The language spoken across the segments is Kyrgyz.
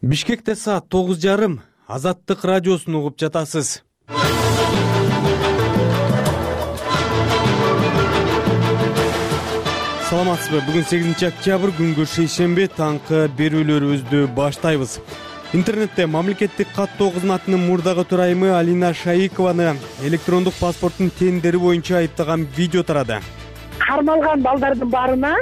Бишкекте саат 9:30 Азаттык радиосун угуп жатасыз. Саламатсызбы? Бүгүн 8 октябрь күнгө шейшемби таңкы берүүлөрүбүздү баштайбыз. Интернетте мамлекеттик каттоо кызматынын мурдагы төрайымы Алина Шайыкованы электрондук паспорттун тендери боюнча айыптаган видео тарады. Кармалган балдардын баарына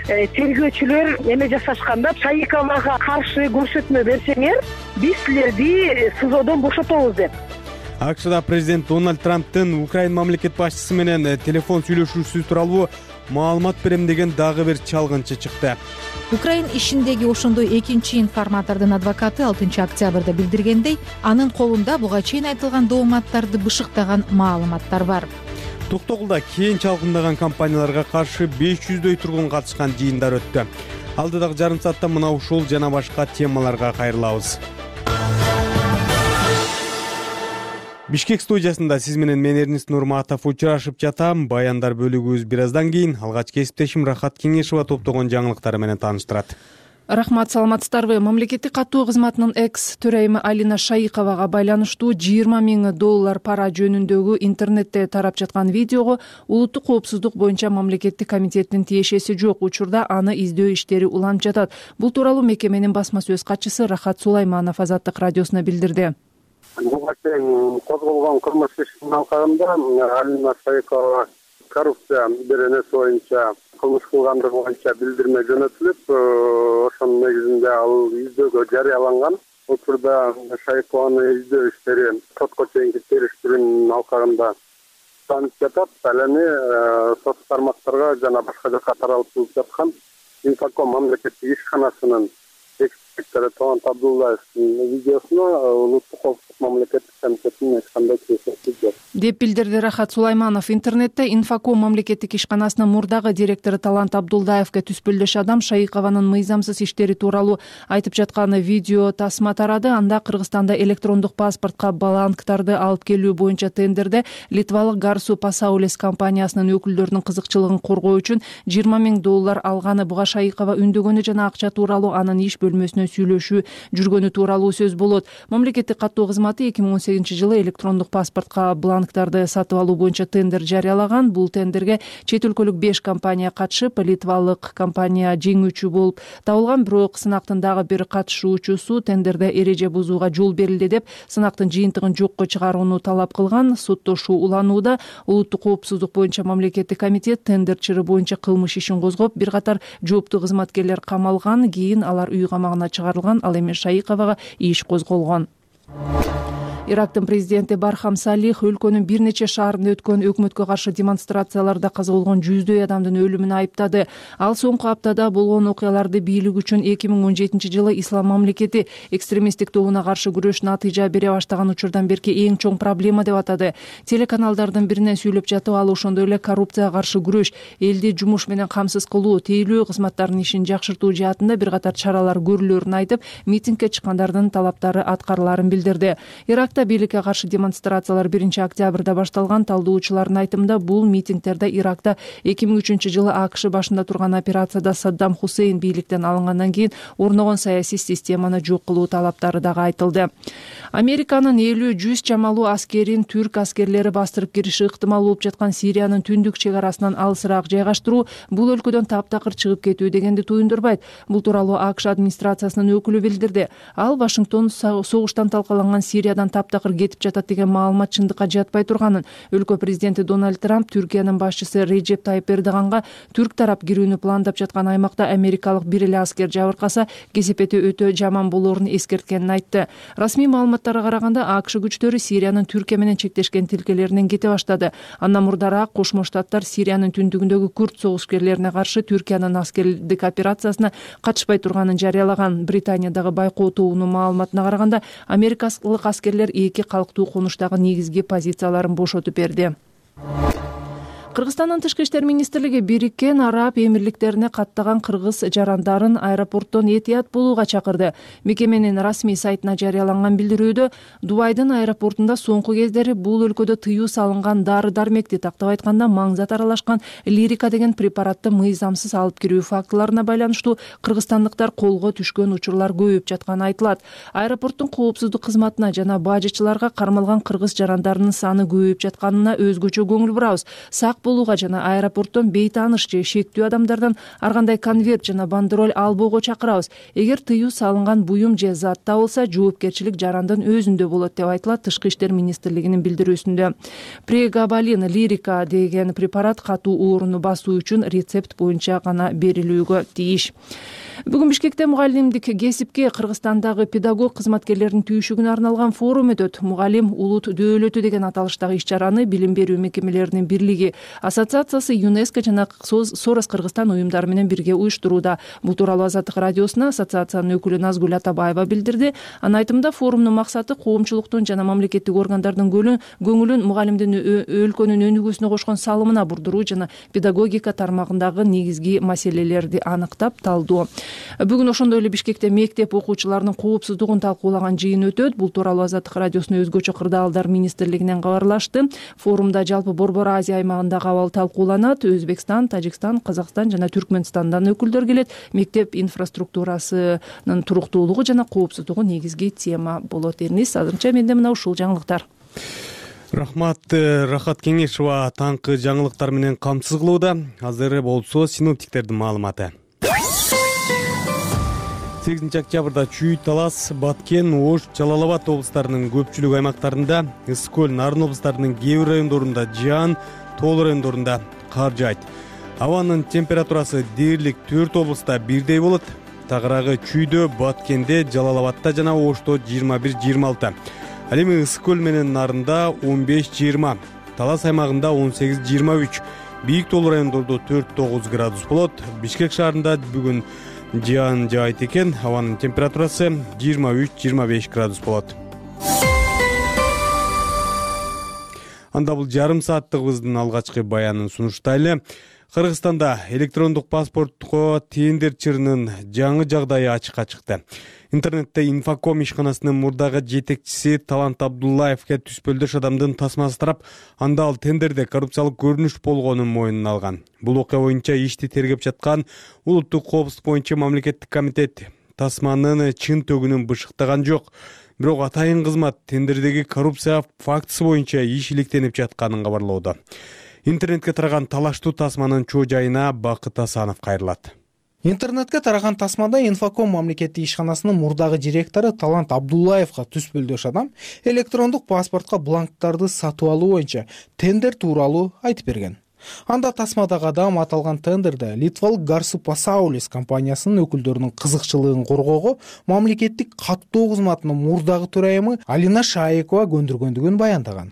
тергөөчүлөр эме жасашканда Шайыковага каршы көрсөтмө берсеңер, биз силерди СИЗОдон бошотобуз деп. АКШда президент Дональд Трамптын Украина мамлекет башчысы менен телефон сүйлөшүүсү тууралуу маалымат берем деген дагы бир чалгынчы чыкты. Украин ишиндеги ошондой экинчи информатордун адвокаты 6 октябрда билдиргендей, анын колунда буга чейин айтылган дооматтарды бышыктаган маалыматтар бар. Токтогулда кийин чалкындаган компанияларга каршы 500дөй тургун катышкан жыйындар өттү. Алдыдагы жарым саатта мына ушул жана башка темаларга кайрылабыз. Бишкек студиясында сиз менен мен Эрнис Нурматов учурашып жатам. Баяндар бөлүгүбүз бир аздан кийин алгач кесиптешим Рахат Кеңешова топтогон жаңылыктары менен тааныштырат. Рахмат, саламатсыздарбы? Мамлекеттик каттоо кызматынын экс-төрайымы Алина Шайыковага байланыштуу $20 000 пара жөнүндөгү интернетте тарап жаткан видеого улуттук коопсуздук боюнча мамлекеттик комитеттин тиешеси жок. Учурда аны издөө иштери уланып жатат. Бул тууралуу мекеменин басма сөз катчысы Рахат Сулайманов Азаттык радиосуна билдирди. Буга чейин козголгон кылмыш ишинин алкагында Алина Шайыкова коррупция беренеси боюнча кылмыш кылгандыгы боюнча билдирме жөнөтүлүп, ошонун негизинде ал издөөгө жарыяланган. Учурда Шайыкованы издөө иштери сотко чейинки териштирүүнүн алкагында станып жатат. Ал эми сот тармактарга жана башка жака таралып жаткан Инфоком мамлекеттик ишканасынын эксперттери Талант Абдулдаевдин видеосуна улуттук коопсуздук мамлекеттик комитетинин эч кандай тиешеси жок деп билдирди Рахат Сулайманов. Интернетте Инфоком мамлекеттик ишканасынын мурдагы директору Талант Абдулдаевге түспөлдөш адам Шайыкованын мыйзамсыз иштери тууралуу айтып жаткан видео тасма тарады. Анда Кыргызстанда электрондук паспортко бланктарды алып келүү боюнча тендерде литвалык Гарсу Пасаулес компаниясынын өкүлдөрүнүн кызыкчылыгын коргоо үчүн $20 000 алганы, буга Шайыкова үндөгөнү жана акча тууралуу анын иш бөлмөсүнө сүйлөшүү жүргөнү тууралуу сөз болот. Мамлекеттик каттоо кызматы 2018-жылы электрондук паспортко бланктарды сатып алуу боюнча тендер жарыялаган. Бул тендерге чет өлкөлүк 5 компания катышып, литвалык компания жеңүүчү болуп табылган. Бирок сынактын дагы бир катышуучусу тендерде эреже бузууга жол берилди деп сынактын жыйынтыгын жокко чыгарууну талап кылган. Соттошуу уланууда. Улуттук коопсуздук боюнча мамлекеттик комитет тендер чыры боюнча кылмыш ишин козгоп, бир катар жооптуу кызматкерлер камалган. Кийин алар үй камагына чыгарылган. Ал эми Шайыковага иш козголгон. Ирактын президенти Бархам Салих өлкөнүн бир нече шаарында өткөн өкмөткө каршы демонстрацияларда каза болгон 100дөй адамдын өлүмүн айыптады. Ал соңку аптада болгон окуяларды бийлик үчүн 2017-жылы Ислам мамлекети экстремисттик тобуна каршы күрөш натыйжа бере баштаган учурдан берки эң чоң проблема деп атады. Телеканалдардын биринен сүйлөп жатып, ал ошондой эле коррупцияга каршы күрөш, элди жумуш менен камсыз кылуу, тейлөө кызматтарынын ишин жакшыртуу жаатында бир катар чаралар көрүлөрүн айтып, митингге чыккандардын талаптары аткарыларын билдирди. Иракта бийликке каршы демонстрациялар 1 октябрда башталган. Талдоочулардын айтымында бул митингдерде Иракта 2003-жылы АКШ башында турган операцияда Саддам Хусейн бийликтен алынгандан кийин орногон саясий системаны жок кылуу талаптары дагы айтылды. Американын 50-100 чамалуу аскерин түрк аскерлери бастырып кириши ыктымал болуп жаткан Сириянын түндүк чек арасынан алысыраак жайгаштыруу бул өлкөдөн таптакыр чыгып кетүү дегенди туюндурбайт. Бул тууралуу АКШ администрациясынын өкүлү билдирди. Ал Вашингтон согуштан талкаланган Сириядан таптакыр кетип жатат деген маалымат чындыкка жатпай турганын, өлкө президенти Дональд Трамп Түркиянын башчысы Реджеп Тайып Эрдоганга түрк тарап кирүүнү пландап жаткан аймакта америкалык бир эле аскер жабыркаса кесепети өтө жаман болоорун эскерткенин айтты. Расмий маалыматтарга караганда АКШ күчтөрү Сириянын Түркия менен чектешкен тилкелеринен кете баштады. Андан мурдараак Кошмо Штаттар Сириянын түндүгүндөгү курд согушкерлерине каршы Түркиянын аскердик операциясына катышпай турганын жарыялаган. Британиядагы байкоо тобунун маалыматына караганда америкалык аскерлер эки калктуу конуштагы негизги позицияларын бошотуп берди. Кыргызстандын Тышкы иштер министрлиги Бириккен Араб Эмирликтерине каттаган кыргыз жарандарын аэропорттон этият болууга чакырды. Мекеменин расмий сайтына жарыяланган билдирүүдө Дубайдын аэропортунда соңку кездери бул өлкөдө тыюу салынган дары-дармекти, тактап айтканда маңзат аралашкан лирика деген препаратты мыйзамсыз алып кирүү фактыларына байланыштуу кыргызстандыктар колго түшкөн учурлар көбөйүп жатканы айтылат. Аэропорттун коопсуздук кызматына жана бажычыларга кармалган кыргыз жарандарынын саны көбөйүп жатканына өзгөчө көңүл бурабыз. Сак болууга жана аэропорттон бейтааныш же шектүү адамдардан ар кандай конверт жана бандероль албоого чакырабыз. Эгер тыюу салынган буюм же зат табылса, жоопкерчилик жарандын өзүндө болот деп айтылат Тышкы иштер министрлигинин билдирүүсүндө. Прегабалин лирика деген препарат катуу ооруну басуу үчүн рецепт боюнча гана берилүүгө тийиш. Бүгүн Бишкекте мугалимдик кесипке Кыргызстандагы педагог кызматкерлердин түйшүгүнө арналган форум өтөт. Мугалим улут дөөлөтү деген аталыштагы иш-чараны Билим берүү мекемелеринин бирлиги ассоциациясы, ЮНЕСКО жана Сорос Кыргызстан уюмдары менен бирге уюштурууда. Бул тууралуу Азаттык радиосуна ассоциациянын өкүлү Назгүл Атабаева билдирди. Анын айтымында форумдун максаты коомчулуктун жана мамлекеттик органдардын көңүлүн мугалимдин өлкөнүн өнүгүүсүнө кошкон салымына бурдуруу жана педагогика тармагындагы негизги маселелерди аныктап талдоо. Бүгүн ошондой эле Бишкекте мектеп окуучуларынын коопсуздугун талкуулаган жыйын өтөт. Бул тууралуу Азаттык радиосуна өзгөчө кырдаалдар министрлигинен кабарлашты. Форумда жалпы Борбор Азия аймагындагы абал талкууланат. Өзбекстан, Тажикстан, Казакстан жана Түркмөнстандан өкүлдөр келет. Мектеп инфраструктурасынын туруктуулугу жана коопсуздугу негизги тема болот. Эрнис, азырынча менде мына ушул жаңылыктар. Рахмат, Рахат Кеңешова таңкы жаңылыктар менен камсыз кылууда. Азыр болсо синоптиктердин маалыматы. 8 октябрда Чүй, Талас, Баткен, Ош, Жалал Абад облустарынын көпчүлүк аймактарында, Ысык-Көл, Нарын облустарынын кээ бир райондорунда жаан, тоол райондорунда кар жаайт. Абанын температурасы дээрлик 4 облуста бирдей болот. Тагыраагы Чүйдө, Баткенде, Жалал Абадта жана Ошто 21-26. Ал эми Ысык-Көл менен Нарында 15-20, Талас аймагында 18-23, бийик тоол райондордо 4-9 градус болот. Бишкек шаарында бүгүн жаан жаайт экен. Абанын температурасы 23-25 градус болот. Анда бул жарым сааттыгыбыздын алгачкы баянын сунуштайлы. Кыргызстанда электрондук паспортко тендер чырынын жаңы жагдайы ачыкка чыкты. Интернетте Инфоком ишканасынын мурдагы жетекчиси Талант Абдуллаевке түспөлдөш адамдын тасмасы тарап, анда ал тендерде коррупциялык көрүнүш болгонун мойнуна алган. Бул окуя боюнча ишти тергеп жаткан Улуттук коопсуздук боюнча мамлекеттик комитет тасманын чын төгүнүн бышыктаган жок. Бирок атайын кызмат тендердеги коррупция фактысы боюнча иш иликтенип жатканын кабарлоодо. Интернетке тараган талаштуу тасманын чоо жайына Бакыт Асанов кайрылат. Интернетке тараган тасмада Инфоком мамлекеттик ишканасынын мурдагы директору Талант Абдуллаевга түспөлдөш адам электрондук паспортко бланктарды сатып алуу боюнча тендер тууралуу айтып берген. Анда тасмадагы адам аталган тендерде Литвалык Гарсу Пасаулис компаниясынын өкүлдөрүнүн кызыкчылыгын коргоого мамлекеттик каттоо кызматынын мурдагы төрайымы Алина Шаикова көндүргөндүгүн баяндаган.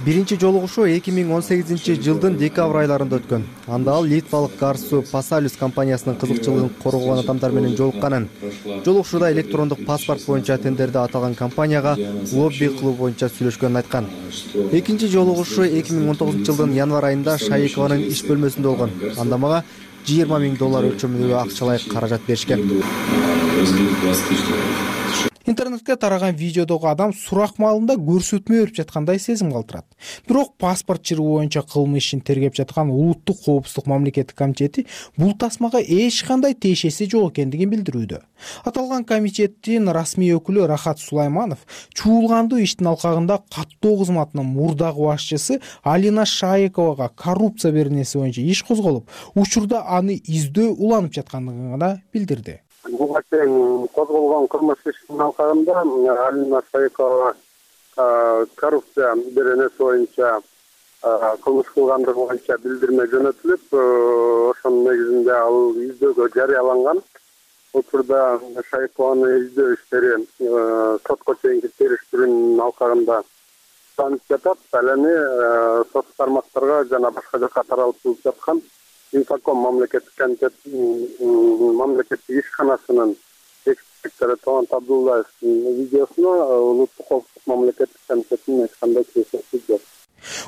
Биринчи жолугушуу 2018-жылдын декабрь айларында өткөн. Анда ал Литвалык Гарсу Пасаулис компаниясынын кызыкчылыгын коргогон адамдар менен жолукканын. Жолугушууда электрондук паспорт боюнча тендерде аталган компанияга лобби кылуу боюнча сүйлөшкөнүн айткан. Экинчи жолугушуу 2019-жылдын январь айында Шаикованын иш бөлмөсүндө болгон. Анда мага $20 000 өлчөмүндөгү акчалай каражат беришкен. Интернетке тараган видеодогу адам сурак маалында көрсөтмө берип жаткандай сезим калтырат. Бирок паспорт чыруу боюнча кылмыш ишин тергеп жаткан Улуттук коопсуздук мамлекеттик комитети бул тасмага эч кандай тиешеси жок экендигин билдирүүдө. Аталган комитеттин расмий өкүлү Рахат Сулайманов чуулгандуу иштин алкагында каттоо кызматынын мурдагы башчысы Алина Шаиковага коррупция беренеси боюнча иш козголуп, учурда аны издөө уланып жаткандыгын гана билдирди. Буга чейин козголгон кылмыш иштин алкагында Алина Шаикова коррупция беренеси боюнча кылмыш кылгандыгы боюнча билдирме жөнөтүлүп, ошонун негизинде ал издөөгө жарыяланган. Учурда Шаикованын издөө иштери сотко чейинки териштирүүнүн алкагында танып жатат. Ал эми сот тармактарга жана башка жакка таралып жаткан Инфоком мамлекеттик комитет мамлекеттик ишканасынын эксперттери Талант Абдуллаевдин видеосуна Улуттук коопсуздук мамлекеттик комитетинин эч кандай тиешеси жок.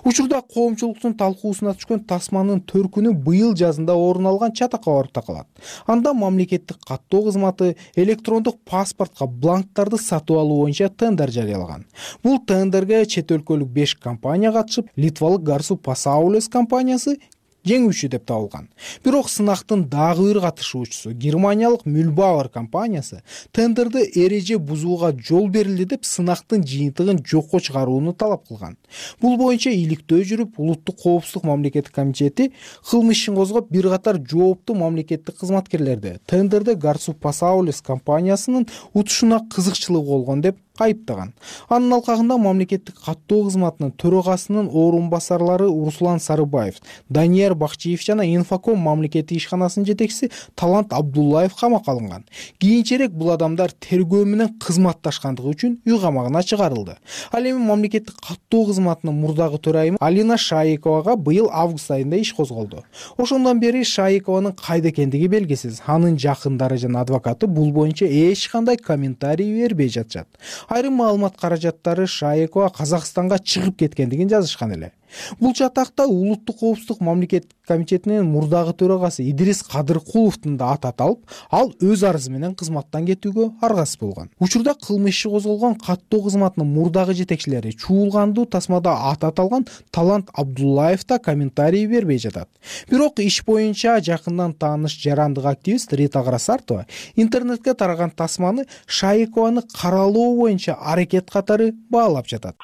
Учурда коомчулуктун талкуусуна түшкөн тасманын төркүнү быйыл жазында орун алган чатакка барып такалат. Анда мамлекеттик каттоо кызматы электрондук паспортко бланктарды сатып алуу боюнча тендер жарыялаган. Бул тендерге чет өлкөлүк 5 компания катышып, Литвалык Garsu Pasaules компаниясы жеңүүчү деп табылган. Бирок сынактын дагы бир катышуучусу Германиялык Mühlbauer компаниясы тендерди эреже бузууга жол берилди деп сынактын жыйынтыгын жокко чыгарууну талап кылган. Бул боюнча иликтөө жүрүп, Улуттук коопсуздук мамлекеттик комитети кылмыш ишин козгоп, бир катар жооптуу мамлекеттик кызматкерлерди тендерде Garsu Pasaules компаниясынын утушуна кызыкчылыгы болгон деп айыптаган. Анын алкагында мамлекеттик каттоо кызматынын төрагасынын орун басарлары Руслан Сарыбаев, Данияр Бакчиев жана Инфоком мамлекеттик ишканасынын жетекчиси Талант Абдуллаев камакка алынган. Кийинчерээк бул адамдар тергөө менен кызматташкандыгы үчүн үй камагына чыгарылды. Ал эми мамлекеттик каттоо кызматынын мурдагы төрайымы Алина Шаиковага быйыл август айында иш козголду. Ошондон бери Шаикованын кайда экендиги белгисиз. Анын жакындары жана адвокаты бул боюнча эч кандай комментарий бербей жатышат. Айрым маалымат каражаттары Шаикова Казакстанга чыгып кеткендигин жазышкан эле. Бул чатакта Улуттук коопсуздук мамлекеттик комитетинин мурдагы төрагасы Идрис Кадыркуловдун да аты аталып, ал өз арызы менен кызматтан кетүүгө аргасыз болгон. Учурда кылмыш иши козголгон каттоо кызматынын мурдагы жетекчилери чуулгандуу тасмада аты аталган Талант Абдуллаев да комментарий бербей жатат. Бирок иш боюнча жакындан тааныш жарандык активист Рита Карасартова интернетке тараган тасманы Шаикованы каралоо боюнча аракет катары баалап жатат.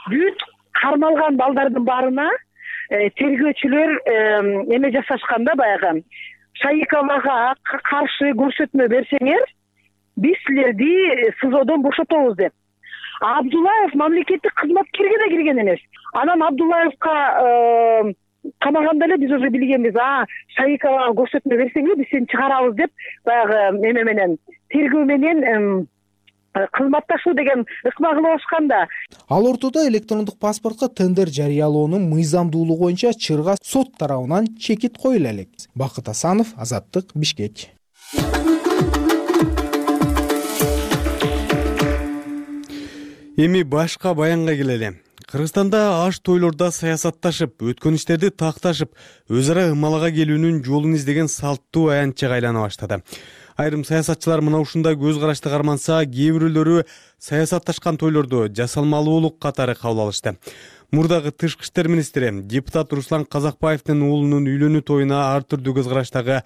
Кармалган балдардын баарына тергөөчүлөр эме жасашканда баягы Шаиковага каршы көрсөтмө берсеңер, биз силерди СИЗОдон бошотобуз деп. Абдуллаев мамлекеттик кызматкерге да кирген эмес. Анан Абдуллаевка камаганда эле биз уже билгенбиз. Шаиковага көрсөтмө берсеңер, биз сени чыгарабыз деп баягы эме менен тергөө менен кызматташуу деген ыкма кылып ашканда. Ал ортодо электрондук паспортко тендер жарыялоонун мыйзамдуулугу боюнча чырга сот тарабынан чекит коюла элек. Бакыт Асанов, Азаттык, Бишкек. Эми башка баянга келели. Кыргызстанда аш тойлордо саясатташып, өткөн иштерди такташып, өз ара ымалага келүүнүн жолун издеген салттуу аянтчага айлана баштады. Айрым саясатчылар мына ушундай көз карашты карманса, кээ бирөөлөрү саясатташкан тойлорду жасалмалуулук катары кабыл алышты. Мурдагы тышкы иштер министри депутат Руслан Казакбаевдин уулунун үйлөнүү тоюна ар түрдүү көз караштагы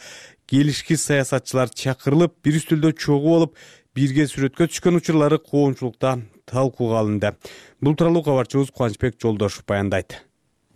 келишкис саясатчылар чакырылып, бир үстөлдө чогуу болуп, бирге сүрөткө түшкөн учурлары коомчулукта талкууга алынды. Бул тууралуу кабарчыбыз Кубанычбек Жолдошов баяндайт.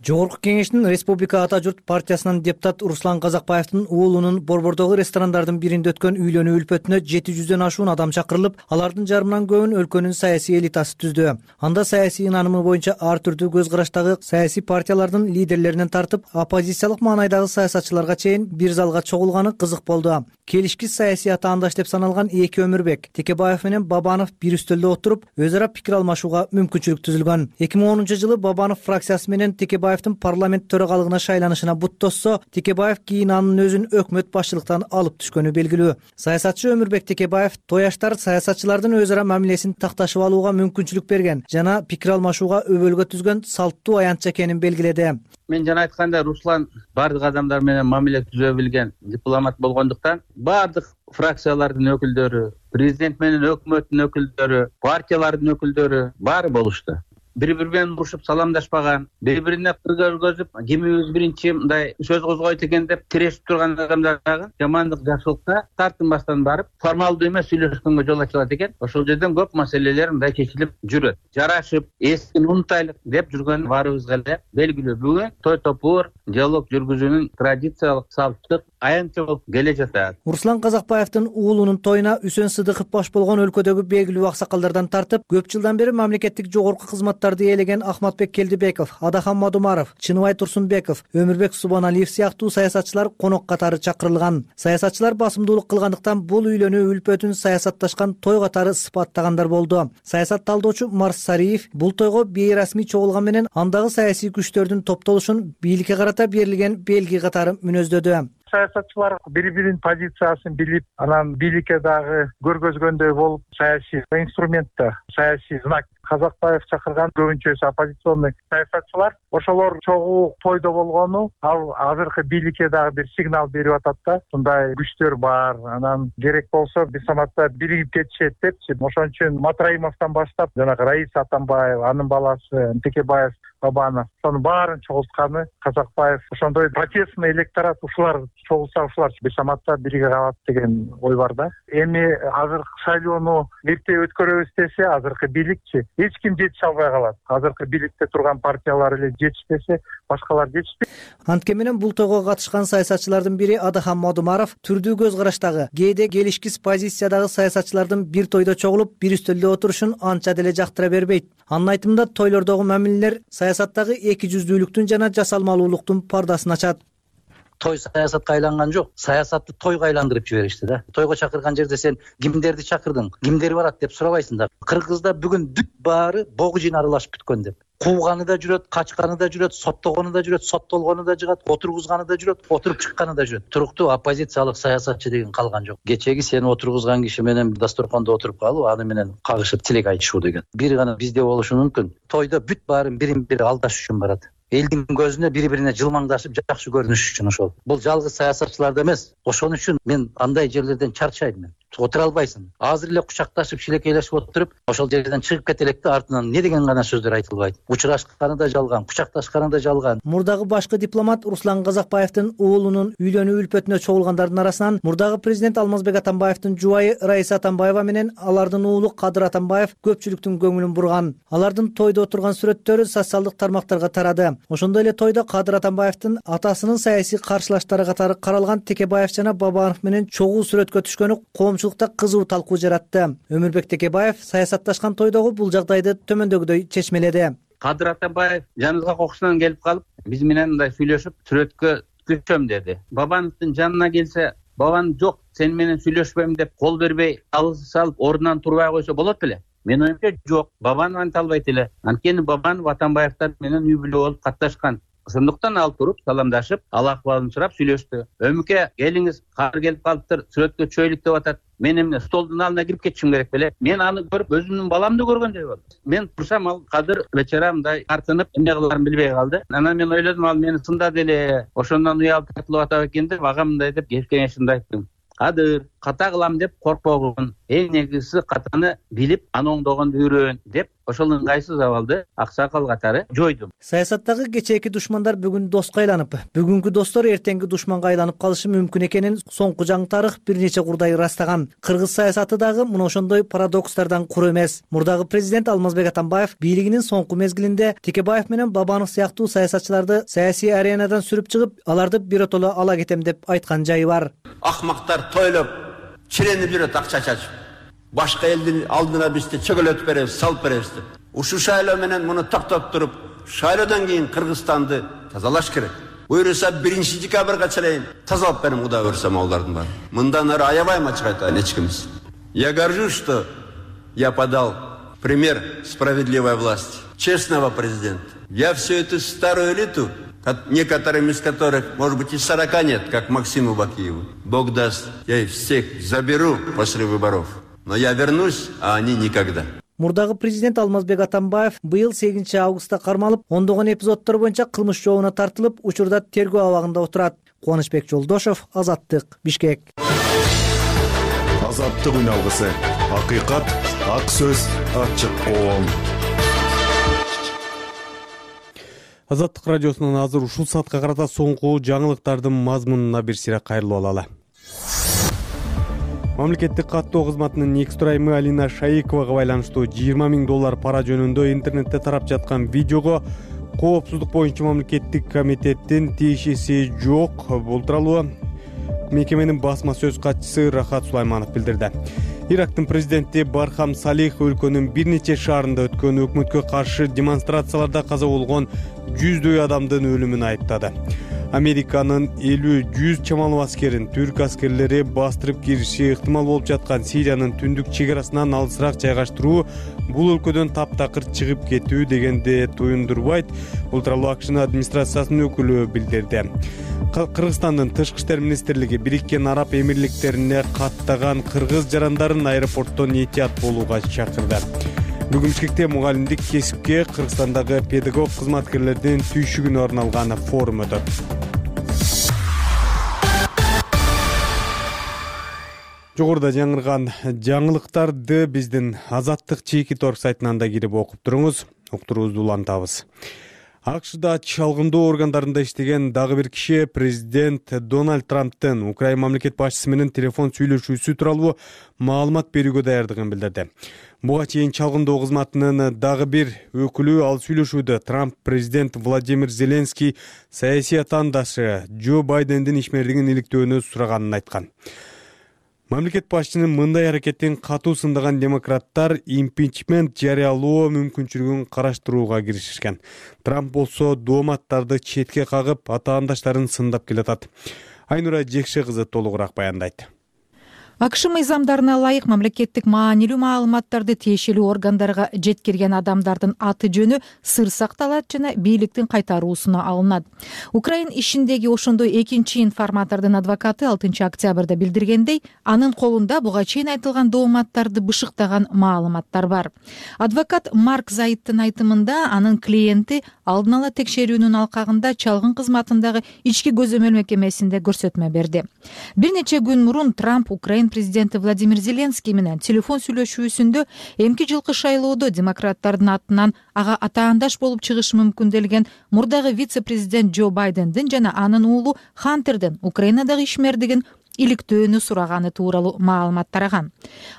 Жогорку кеңештин Республика Ата журт партиясынын депутат Руслан Казакбаевдин уулунун Борбордогу ресторандардын биринде өткөн үйлөнүү үлпөтүнө 700дөн ашуун адам чакырылып, алардын жарымынан көбүн өлкөнүн саясий элитасы түздү. Анда саясий ынанымы боюнча ар түрдүү көз караштагы саясий партиялардын лидерлеринен тартып, оппозициялык маанайдагы саясатчыларга чейин бир залга чогулганы кызык болду. Келишкис саясий атаандаш деп саналган эки Өмүрбек, Текебаев менен Бабанов бир үстөлдө отуруп, өз ара пикир алмашууга мүмкүнчүлүк түзүлгөн. 2010-жылы Бабанов фракциясы менен Текебаевдин парламент төрагалыгына шайланышына буттосо, Текебаев кийин анын өзүн өкмөт башчылыктан алып түшкөнү белгилүү. Саясатчы Өмүрбек Текебаев тояштар саясатчылардын өз ара мамилесин такташып алууга мүмкүнчүлүк берген жана пикир алмашууга өбөлгө түзгөн салттуу аянтча экенин белгиледи. Мен жана айтканда Руслан бардык адамдар менен мамиле түзө билген дипломат болгондуктан бардык фракциялардын өкүлдөрү, президент менен өкмөттүн өкүлдөрү, партиялардын өкүлдөрү баары болушту. Бири-бири менен урушуп саламдашпаган, бири-бирине кыр көргөзүп, кимибиз биринчи мындай сөз козгойт экен деп тирешип турган адамдар дагы жамандык жакшылыкка тартынбастан барып, формалдуу эмес сүйлөшкөнгө жол ачылат экен. Ошол жерден көп маселелер мындай чечилип жүрөт. Жарашып, эскини унутайлык деп жүргөн баарыбызга эле белгилүү. Бүгүн той топур диалог жүргүзүүнүн традициялык салттык аянтча болуп келе жатат. Руслан Казакбаевдин уулунун тоюна Үсөн Сыдыков баш болгон өлкөдөгү белгилүү аксакалдардан тартып, көп жылдан бери мамлекеттик жогорку кызматтарды ээлеген Ахматбек Келдибеков, Адахан Мадумаров, Чыныбай Турсунбеков, Өмүрбек Субаналиев сыяктуу саясатчылар конок катары чакырылган. Саясатчылар басымдуулук кылгандыктан бул үйлөнүү үлпөтүн саясатташкан той катары сыпаттагандар болду. Саясат талдоочу Марс Сариев бул тойго бейрасмий чогулган менен андагы саясий күчтөрдүн топтолушун бийликке карата берилген белги катары мүнөздөдү. Саясатчылар бири-биринин позициясын билип, анан бийликке дагы көргөзгөндөй болуп, саясий инструментте, саясий знак Казакбаев чакырган көбүнчөсү оппозиционный саясатчылар. Ошолор чогуу тойдо болгону ал азыркы бийликке дагы бир сигнал берип атат да. Мындай күчтөр бар, анан керек болсо бир саматта биригип кетишет депчи. Ошон үчүн Матраимовдон баштап жанагы Раиса Атамбаева, анын баласы Текебаев, Бабанов, ошонун баарын чогултканы Казакбаев. Ошондой протестный электорат ушулар чогулса ушулар бир саматта бириге калат деген ой бар да. Эми азыркы шайлоону эрте өткөрөбүз десе, азыркы бийликчи эч ким жетише албай калат. Азыркы бийликте турган партиялар эле жетишпесе, башкалар жетишпейт. Антке менен бул тойго катышкан саясатчылардын бири Адахам Модумаров түрдүү көз караштагы, кээде келишкис позициядагы саясатчылардын бир тойдо чогулуп, бир үстөлдө отурушун анча деле жактыра бербейт. Анын айтымында тойлордогу мамилелер саясаттагы эки жүздүүлүктүн жана жасалмалуулуктун пардасын ачат. Той саясатка айланган жок, саясатты тойго айландырып жиберишти да. Тойго чакырган жерде сен кимдерди чакырдың, кимдер барат деп сурабайсың да. Кыргызда бүгүн бүт баары богу жин аралашып бүткөн деп. Кууганы да жүрөт, качканы да жүрөт, соттогону да жүрөт, соттолгону да жыгат, отургузганы да жүрөт, отуруп чыкканы да жүрөт. Туруктуу оппозициялык саясатчы деген калган жок. Кечеги сени отургузган киши менен дасторкондо отуруп калып, аны менен кагышып тилек айтышуу деген. Бир гана бизде болушу мүмкүн. Тойдо бүт баарын бирин-бири алдаш үчүн барат. Элдин көзүнө бири-бирине жылмаңдашып жакшы көрүнүш үчүн ошол. Бул жалгыз саясатчыларда эмес. Ошон үчүн мен андай жерлерден чарчайм мен. Отура албайсың. Азыр эле кучакташып, шилекейлешип отуруп, ошол жерден чыгып кет электи, артынан не деген гана сөздөр айтылбайт. Учурашканы да жалган, кучакташканы да жалган. Мурдагы башкы дипломат Руслан Казакбаевдин уулунун үйлөнүү үлпөтүнө чогулгандардын арасынан мурдагы президент Алмазбек Атамбаевдин жубайы Раиса Атамбаева менен алардын уулу Кадыр Атамбаев көпчүлүктүн көңүлүн бурган. Алардын тойдо отурган сүрөттөрү социалдык тармактарга тарады. Ошондой эле тойдо Кадыр Атамбаевдин атасынын саясий каршылаштары катары каралган Текебаев жана Бабанов менен чогуу сүрөткө түшкөнү коомчулукта кызуу талкуу жаратты. Өмүрбек Текебаев саясатташкан тойдогу бул жагдайды төмөндөгүдөй чечмеледи. Кадыр Атамбаев жаныбызга кокусунан келип калып, биз менен мындай сүйлөшүп, сүрөткө түшөм деди. Бабановдун жанына келсе, Бабан жок, сен менен сүйлөшпөйм деп кол бербей, алгыс салып, ордунан турбай койсо болот беле? Мен оюмча жок, Бабанов анта албайт эле. Анткени Бабанов Атамбаевдер менен үй бүлө болуп катташкан. Ошондуктан ал туруп, саламдашып, ал акыбалын сурап сүйлөштү. Өмүкө, келиңиз, Кадыр келип калыптыр, сүрөткө чөйлүк деп атат. Мен эмне столдун алдына кирип кетишим керек беле? Мен аны көрүп, өзүмдүн баламды көргөндөй болдум. Мен турсам, ал Кадыр вечера мындай тартынып, эмне кыларын билбей калды. Анан мен ойлодум, ал мени сындады эле. Ошондон уялып тартылып атат экен деп, ага мындай деп кеңешимди айттым. Кадыр, ката кылам деп коркпогун. Эң негизгиси катаны билип, аны оңдогонду үйрөн деп, ошол ыңгайсыз абалды аксакал катары жойдум. Саясаттагы кечээки душмандар бүгүн доска айланып, бүгүнкү достор эртеңки душманга айланып калышы мүмкүн экенин соңку жаңы тарых бир нече курдай ырастаган. Кыргыз саясаты дагы мына ошондой парадокстардан кур эмес. Мурдагы президент Алмазбек Атамбаев бийлигинин соңку мезгилинде Текебаев менен Бабанов сыяктуу саясатчыларды саясий аренадан сүрүп чыгып, аларды биротоло ала кетем деп айткан жайы бар. Акмактар тойлоп, чиренип жүрөт акча чачып. Башка элдин алдына бизди чөгөлөтүп беребиз, салып беребиз деп. Ушу шайлоо менен муну токтоп туруп, шайлоодон кийин Кыргызстанды тазалаш керек. Буюрса 1 декабрга чейин тазалап берем, Кудай буйрса маалдардын баары. Мындан ары аябайм ачык айтайын эч кимиз. Я горжусь, что я подал пример справедливой власти, честного президента. Я всю эту старую элиту, некоторым из которых, может быть, и 40 нет, как Максиму Бакиеву, Бог даст, я их всех заберу после выборов. Но я вернусь, а они никогда. Мурдагы президент Алмазбек Атамбаев быйыл 8 августта кармалып, ондогон эпизоддор боюнча кылмыш жообуна тартылып, учурда тергөө абагында отурат. Кубанычбек Жолдошов, Азаттык, Бишкек. Азаттык үналгысы. Акыйкат, ак сөз, ачык коом. Азаттык радиосунун азыр ушул саатка карата соңку жаңылыктардын мазмунуна бир сыйра кайрылып алалы. Мамлекеттик каттоо кызматынын негиз тураймы Алина Шаиковага байланыштуу $20,000 пара жөнүндө интернетте тарап жаткан видеого коопсуздук боюнча мамлекеттик комитеттин тиешеси жок. Бул тууралуу мекеменин басма сөз катчысы Рахат Сулайманов билдирди. Ирактын президенти Бархам Салих өлкөнүн бир нече шаарында өткөн өкмөткө каршы демонстрацияларда каза болгон жүздөй адамдын өлүмүн айыптады. Американын 50-100 чамалуу аскерин түрк аскерлери бастырып кириши ыктымал болуп жаткан Сириянын түндүк чегарасынан алысыраак жайгаштыруу бул өлкөдөн таптакыр чыгып кетүү дегенди туюндурбайт. Бул тууралуу АКШнын администрациясынын өкүлү билдирди. Кыргызстандын тышкы иштер министрлиги Бириккен Араб Эмирликтерине каттаган кыргыз жарандарын аэропорттон этият болууга чакырды. Бүгүн Бишкекте мугалимдик кесипке Кыргызстандагы педагог кызматкерлердин түйшүгүнө арналган форум өтөт. Жогоруда жаңырган жаңылыктарды биздин Азаттык Чекит.org сайтынан да кирип окуп туруңуз. Уктуруубузду улантабыз. АКШда чалгындоо органдарында иштеген дагы бир киши президент Дональд Трамптын Украина мамлекет башчысы менен телефон сүйлөшүүсү тууралуу маалымат берүүгө даярдыгын билдирди. Буга чейин чалгындоо кызматынын дагы бир өкүлү ал сүйлөшүүдө Трамп президент Владимир Зеленский саясий атаандашы Джо Байдендин ишмердигин иликтөөнү сураганын айткан. Мамлекет башчынын мындай аракетин катуу сындаган демократтар импичмент жарыялоо мүмкүнчүлүгүн караштырууга киришишкен. Трамп болсо дооматтарды четке кагып, атаандаштарын сындап келатат. Айнура Жекше кызы толугураак баяндайт. АКШ мыйзамдарына ылайык мамлекеттик маанилүү маалыматтарды тиешелүү органдарга жеткирген адамдардын аты жөнү сыр сакталат жана бийликтин кайтаруусуна алынат. Украина ишиндеги ошондой экинчи информатордун адвокаты 6 октябрда билдиргендей, анын колунда буга чейин айтылган дооматтарды бышыктаган маалыматтар бар. Адвокат Марк Зайттын айтымында анын клиенти алдын ала текшерүүнүн алкагында чалгын кызматындагы ички көзөмөл мекемесинде көрсөтмө берди. Бир нече күн мурун Трамп Украина президенти Владимир Зеленский менен телефон сүйлөшүүсүндө эмки жылкы шайлоодо демократтардын атынан ага атаандаш болуп чыгышы мүмкүнделген мурдагы вице-президент Джо Байдендин жана анын уулу Хантердин Украинадагы ишмердигин иликтөөнү сураганы тууралуу маалымат тараган.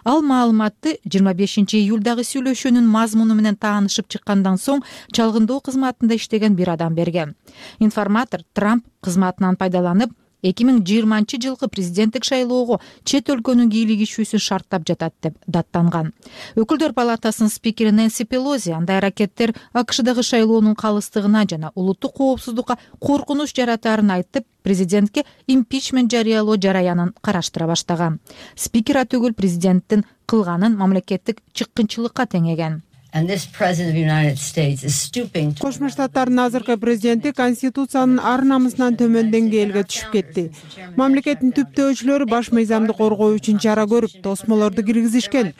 Ал маалыматты 25 июлдагы сүйлөшүүнүн мазмуну менен таанышып чыккандан соң чалгындоо кызматында иштеген бир адам берген. Информатор Трамп кызматынан пайдаланып 2020 жылкы президенттик шайлоого чет өлкөнүн кийлигишүүсүн шарттап жатат деп даттанган. Өкүлдөр палатасынын спикери Нэнси Пелози андай аракеттер АКШдагы шайлоонун калыстыгына жана улуттук коопсуздукка коркунуч жаратаарын айтып, президентке импичмент жарыялоо жараянын караштыра баштаган. Спикер атөгүл президенттин кылганын мамлекеттик чыккынчылыкка теңеген. Кошмо Штаттардын азыркы президенти Конституциянын ар намысынан төмөн деңгээлге түшүп кетти. Мамлекеттин түптөөчүлөрү баш мыйзамды коргоо үчүн чара көрүп, тосмолорду киргизишкен.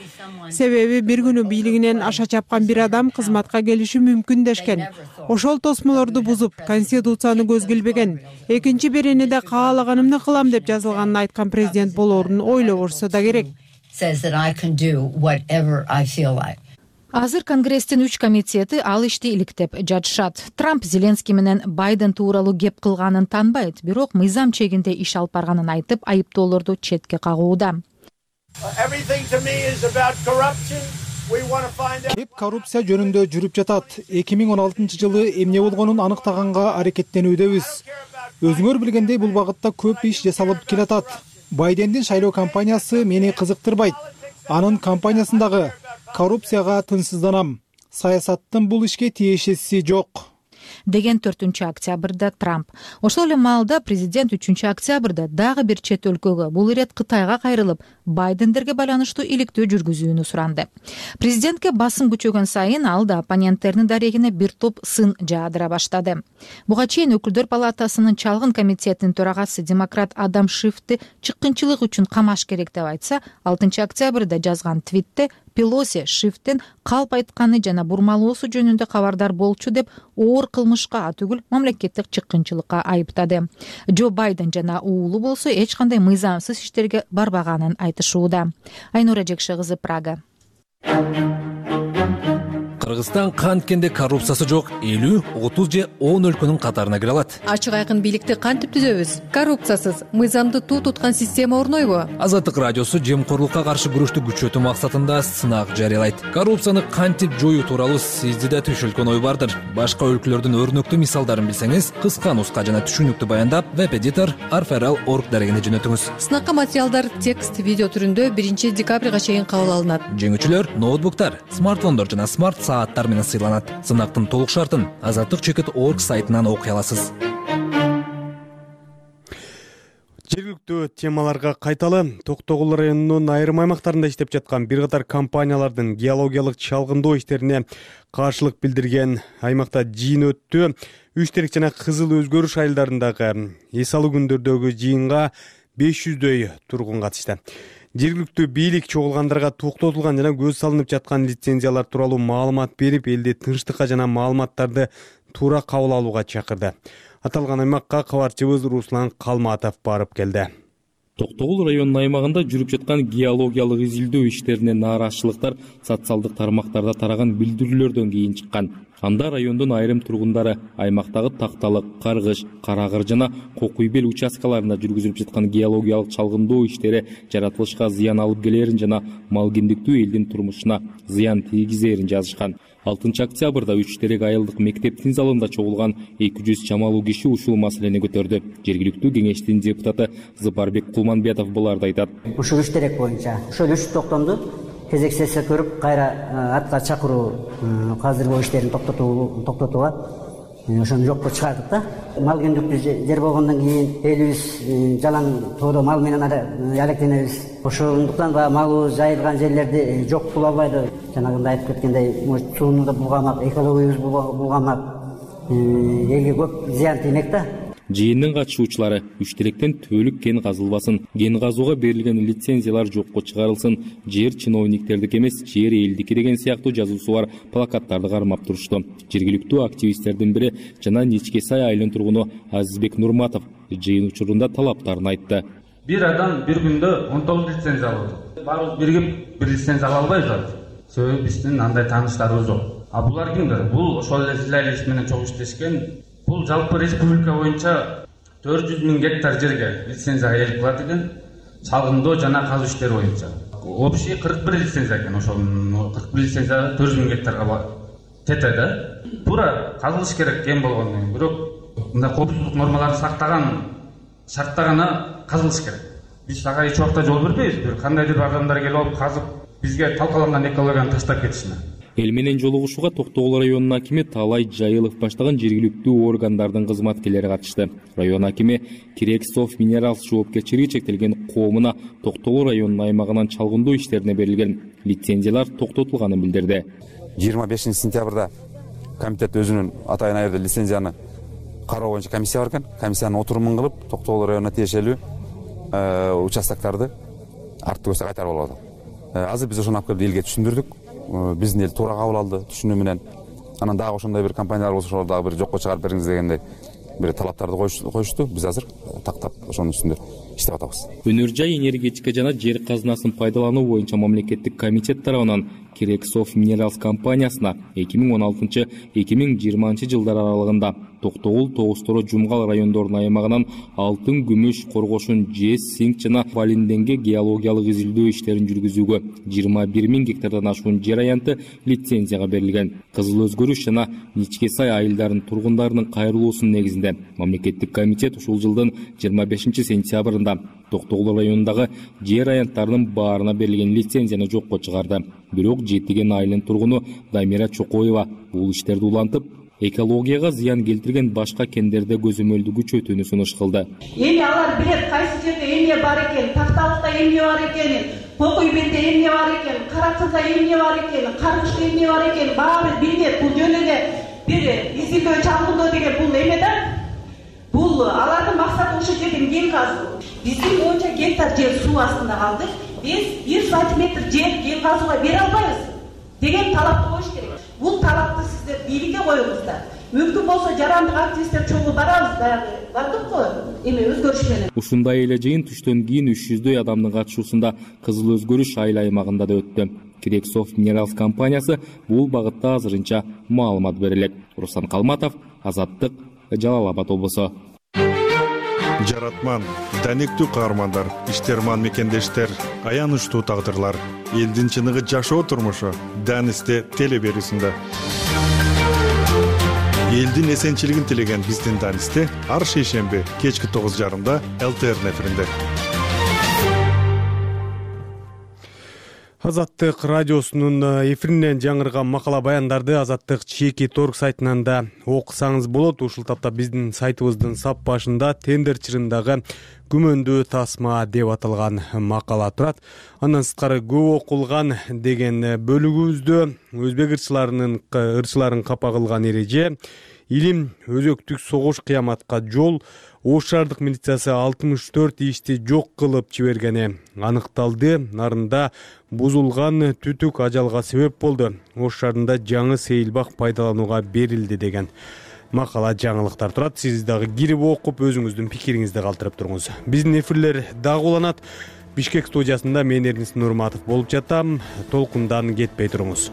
Себеби бир күнү бийлигинен аша чапкан бир адам кызматка келиши мүмкүн дешкен. Ошол тосмолорду бузуп, Конституцияны көзгө илбеген. Экинчи бириниде каалаганымды кылам деп жазылганын айткан президент болоорун ойлобошсо да керек. Азыр Конгресстин 3 комитети ал ишти иликтеп жатышат. Трамп Зеленский менен Байден тууралуу кеп кылганын танбайт, бирок мыйзам чегинде иш алып барганын айтып, айыптоолорду четке кагууда. Кеп коррупция жөнүндө жүрүп жатат. 2016 жылы эмне болгонун аныктаганга аракеттенүүдөбүз. Өзүңөр билгендей бул багытта көп иш жасалып келатат. Байдендин шайлоо кампаниясы мени кызыктырбайт. Анын кампаниясындагы коррупцияга тынчсызданам. Саясаттын бул ишке тиешеси жок. Деген 4 октябрда Трамп. Ошол эле маалда президент 3 октябрда дагы бир чет өлкөгө, бул ирет Кытайга кайрылып, Байдендерге байланыштуу иликтөө жүргүзүүнү суранды. Президентке басым күчөгөн сайын ал да оппоненттеринин дарегине бир топ сын жаадыра баштады. Буга чейин өкүлдөр палатасынын чалгын комитетинин төрагасы демократ Адам Шифти чыккынчылык үчүн камаш керек деп айтса, 6 октябрда жазган твитте Пелоси Шифтин калп айтканы жана бурмалоосу жөнүндө кабардар болчу деп оор кылмышка атүгүл мамлекеттик чыккынчылыкка айыптады. Джо Байден жана уулу болсо эч кандай мыйзамсыз иштерге барбаганын айтышууда. Айнура Жекше кызы, Прага. Кыргызстан канткенде коррупциясы жок 50, 30 же 10 өлкөнүн катарына кире алат. Ачык айкын бийликти кантип түзөбүз? Коррупциясыз, мыйзамды туу туткан система орнойбу? Азаттык радиосу жемкорлукка каршы күрөштү күчөтүү максатында сынак жарыялайт. Коррупцияны кантип жоюу тууралуу сизди да түшүлгөн ой бардыр. Башка өлкөлөрдүн өрнөктүү мисалдарын билсеңиз, кыска нуска жана түшүнүктүү баяндап, веб-эдитор arferal.org дарегине жөнөтүңүз. Сынакка материалдар текст, видео түрүндө 1 декабрга чейин кабыл алынат. Жеңүүчүлөр ноутбуктар, смартфондор жана смарт сааттар менен сыйланат. Сынактын толук шартын Азаттык Чекит.org сайтынан окуй аласыз. Жергиликтүү темаларга кайталы. Токтогул районунун айрым аймактарында иштеп жаткан бир катар компаниялардын геологиялык чалгындоо иштерине каршылык билдирген аймакта жыйын өттү. Үч терек жана кызыл өзгөрүш айылдарындагы эс алуу күндөрдөгү жыйынга 500дөй тургун катышты. Жергиликтүү бийлик чогулгандарга токтотулган жана көз салынып жаткан лицензиялар тууралуу маалымат берип, элди тынчтыкка жана маалыматтарды туура кабыл алууга чакырды. Аталган аймакка кабарчыбыз Руслан Калматов барып келди. Токтогул районунун аймагында жүрүп жаткан геологиялык изилдөө иштерине нааразычылыктар социалдык тармактарда тараган билдирүүлөрдөн кийин чыккан. Анда райондун айрым тургундары аймактагы Такталык, Каргыш, Карагыр жана Кокуйбел участкаларында жүргүзүлүп жаткан геологиялык чалгындоо иштери жаратылышка зыян алып келерин жана малгендиктүү элдин турмушуна зыян тийгизерин жазышкан. 6 октябрда 3 терек айылдык мектептин залында чогулган 200 чамалуу киши ушул маселени көтөрдү. Жергиликтүү кеңештин депутаты Зыпарбек Кулманбетов буларды айтат. Ушул 3 терек боюнча ошол 3 токтомду кезек сессия көрүп, кайра атка чакыруу казыркы иштерин токтотууга ошону жокко чыгардык да. Малгендиктүү жер болгондон кийин элибиз жалаң тоодо мал менен алектенебиз. Ошондуктан малыбыз жайылган жерлерди жок кыла албайбыз. Жанагындай айтып кеткендей, сууну да булгамак, экологиябыз булгамак, элге көп зыян тиймек да. Жыйындын катышуучулары 3 теректен түбөлүк кен казылбасын, кен казууга берилген лицензиялар жокко чыгарылсын, жер чиновниктердики эмес, жер элдики деген сыяктуу жазуусу бар плакаттарды кармап турушту. Жергиликтүү активисттердин бири жана Ничке Сай айылынын тургуну Азизбек Нурматов жыйын учурунда талаптарын айтты. Бир адам бир күндө 19 лицензия алды. Баарыбыз биригип бир лицензия ала албайбыз. Себеби биздин андай тааныштарыбыз жок. А булар кимдер? Бул ошол эле сиз эле менен чогуу иштешкен. Бул жалпы республика боюнча 400 000 гектар жерге лицензияга ээлик кылат экен. Чалгындоо жана казуу иштери боюнча. Общий 41 лицензия экен. Ошол 41 лицензия 400 000 гектарга тете да. Туура казылыш керек кен болгондон кийин. Бирок мындай коопсуздук нормаларын сактаган шартта гана казылыш керек. Биз ага эч убакта жол бербейбиз. Бир кандайдыр бир адамдар келип алып казып, бизге талкаланган экологияны таштап кетишине. Эл менен жолугушууга Токтогул районунун акими Таалай Жайылов баштаган жергиликтүү органдардын кызматкерлери катышты. Район акими Кирексов Минералс жоопкерчилиги чектелген коомуна Токтогул районунун аймагынан чалгындоо иштерине берилген лицензиялар токтотулганын билдирди. 25 сентябрда комитет өзүнүн атайын айырды лицензияны кароо боюнча комиссия бар экен. Комиссиянын отурумун кылып, Токтогул районуна тиешелүү участоктарды арттуу көзгө кайтарып алып атат. Азыр биз ошону алып келип элге түшүндүрдүк. Биздин эл туура кабыл алды түшүнүү менен. Анан дагы ошондой бир компаниялар болсо ошолор дагы бир жокко чыгарып бериңиз дегендей бир талаптарды коюшту. Биз азыр тактап ошонун үстүндө иштеп атабыз. Өнөр жай энергетика жана жер казынасын пайдалануу боюнча мамлекеттик комитет тарабынан Кирексов Минералс компаниясына 2016-2020 жылдар аралыгында Токтогул, Тогуз-Торо, Жумгал райондорунун аймагынан алтын, күмүш, коргошун, жез, синк жана валинденге геологиялык изилдөө иштерин жүргүзүүгө 21 000 гектардан ашуун жер аянты лицензияга берилген. Кызыл өзгөрүш жана Ничке Сай айылдарынын тургундарынын кайрылуусунун негизинде мамлекеттик комитет ушул жылдын 25 сентябрында Токтогул районундагы жер аянттарынын баарына берилген лицензияны жокко чыгарды. Бирок Жетиген айылынын тургуну Дамира Чокоева бул иштерди улантып, экологияга зыян келтирген башка кендерде көзөмөлдү күчөтүүнү сунуш кылды. Эми алар билет кайсы жерде эмне бар экен, Такталыкта эмне бар экенин, Кокуйбелде эмне бар экен, Каракырда эмне бар экен, Каргышта эмне бар экен, баары билет. Бул жөн эле бир изилдөө чалгындоо деген бул эме да. Бул алардын максаты ошол жерден кен казуу. Биздин 10 гектар жер суу астында калды. Биз 1 сантиметр жер кен казууга бере албайбыз деген талапты коюш керек. Бул талапты сиздер бийликке коюңуздар. Мүмкүн болсо жарандык активисттер чогуу барабыз, дагы бардыкпы эме өзгөрүш менен. Ушундай эле жыйын түштөн кийин 300дөй адамдын катышуусунда Кызыл өзгөрүш айыл аймагында да өттү. Кирексов Минералс компаниясы бул багытта азырынча маалымат берелек. Руслан Калматов, Азаттык, Жалал Абад облусу. Жаратман, данектүү каармандар, иштерман мекендештер, аянычтуу тагдырлар, элдин чыныгы жашоо турмушу Данисте телеберүүсүндө. Элдин эсенчилигин тилеген биздин Данисте ар шейшемби кечки 9:30 ЛТР эфиринде. Азаттык радиосунун эфиринен жаңырган макала баяндарды Азаттык чеки торг сайтынан да окусаңыз болот. Ушул тапта биздин сайтыбыздын сап башында тендер чырындагы күмөндүү тасма деп аталган макала турат. Андан сырткары көп окулган деген бөлүгүбүздө өзбек ырчыларын капа кылган эреже, илим, өзөктүк согуш, кыяматка жол. Ош шаардык милициясы 64 ишти жок кылып жибергени аныкталды. Нарында бузулган түтүк ажалга себеп болду. Ош шаарында жаңы сейилбак пайдаланууга берилди деген макала жаңылыктар турат. Сиз дагы кирип окуп өзүңүздүн пикириңизди калтырып туруңуз. Биздин эфирлер дагы уланат. Бишкек студиясында мен Эрнис Нурматов болуп жатам. Толкундан кетпей туруңуз.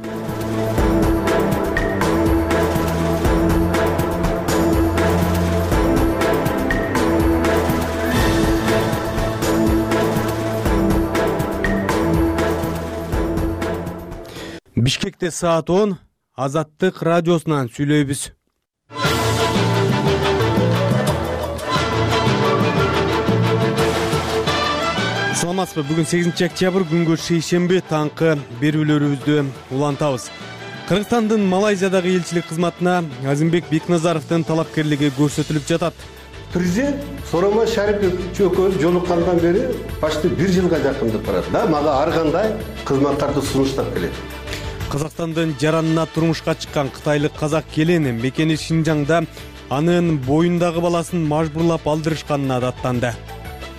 Бишкекте саат 10, Азаттык радиосунан сүйлөйбүз. Саламатсызбы? Бүгүн 8 октябрь күнгө шейшемби таңкы берүүлөрүбүздү улантабыз. Кыргызстандын Малайзиядагы элчилик кызматына Азимбек Бекназаровдун талапкерлиги көрсөтүлүп жатат. Президент Сооронбай Шарипович экөөбүз жолуккандан бери почти 1 жылга жакындап барат. Да, мага ар кандай кызматтарды сунуштап келет. Казакстандын жаранына турмушка чыккан кытайлык казак келини мекени Шинжаңда анын боюндагы баласын мажбурлап алдырышканына даттанды.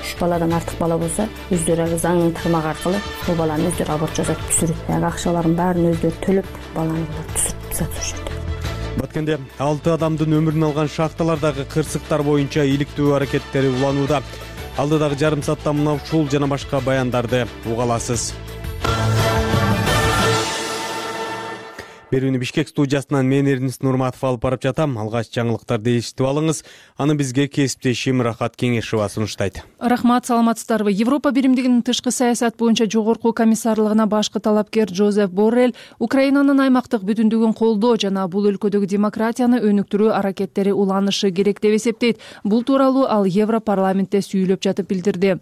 3 баладан артык бала болсо, өздөрү заңдын тармагы аркылуу бул баланы өздөрү аборт жасап түшүрүп, акчаларын баарын өздөрү төлөп, баланы түшүрүп сатышат. Баткенде 6 адамдын өмүрүн алган шахталардагы кырсыктар боюнча иликтөө аракеттери уланууда. Алдыдагы жарым саатта мына ушул жана башка баяндарды уга аласыз. Берүүнү Бишкек студиясынан мен Эрнис Нурматов алып барып жатам. Алгач жаңылыктарды эшитип алыңыз. Аны бизге кесиптешим Рахат Кеңешова сунуштайт. Рахмат, саламатсыздарбы? Европа биримдигинин тышкы саясат боюнча жогорку комиссарлыгына башкы талапкер Жозеф Боррелл Украинанын аймактык бүтүндүгүн колдоо жана бул өлкөдөгү демократияны өнүктүрүү аракеттери уланышы керек деп эсептейт. Бул тууралуу ал Европарламентте сүйлөп жатып билдирди.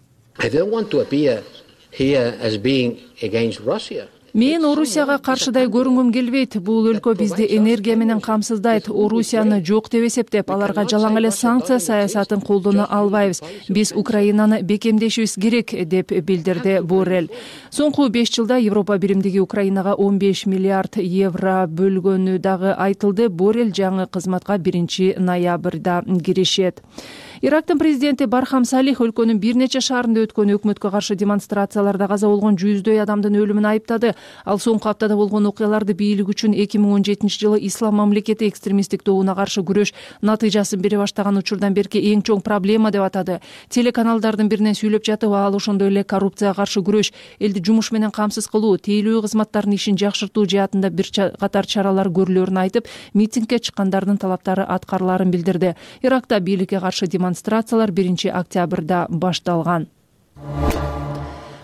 Мен Орусияга каршыдай көрүнгүм келбейт. Бул өлкө бизди энергия менен камсыздайт. Орусияны жок деп эсептеп, аларга жалаң эле санкция саясатын колдоно албайбыз. Биз Украинаны бекемдешибиз керек деп билдирди Боррелл. Соңку 5 жылда Европа биримдиги Украинага 15 миллиард евро бөлгөнү дагы айтылды. Боррелл жаңы кызматка 1 ноябрда киришет. Ирактын президенти Бархам Салих өлкөнүн бир нече шаарында өткөн өкмөткө каршы демонстрацияларда каза болгон 100дөй адамдын өлүмүн айыптады. Ал соңку аптада болгон окуяларды бийлик үчүн 2017 жылы Ислам мамлекети экстремисттик тобуна каршы күрөш натыйжасын бере баштаган учурдан берки эң чоң проблема деп атады. Телеканалдардын биринен сүйлөп жатып, ал ошондой эле коррупцияга каршы күрөш, элди жумуш менен камсыз кылуу, тейлөө кызматтардын ишин жакшыртуу жаатында бир катар чаралар көрүлөрүн айтып, митингге чыккандардын талаптары аткарыларын билдирди. Иракта бийликке каршы демонстрациялар 1 октябрда башталган.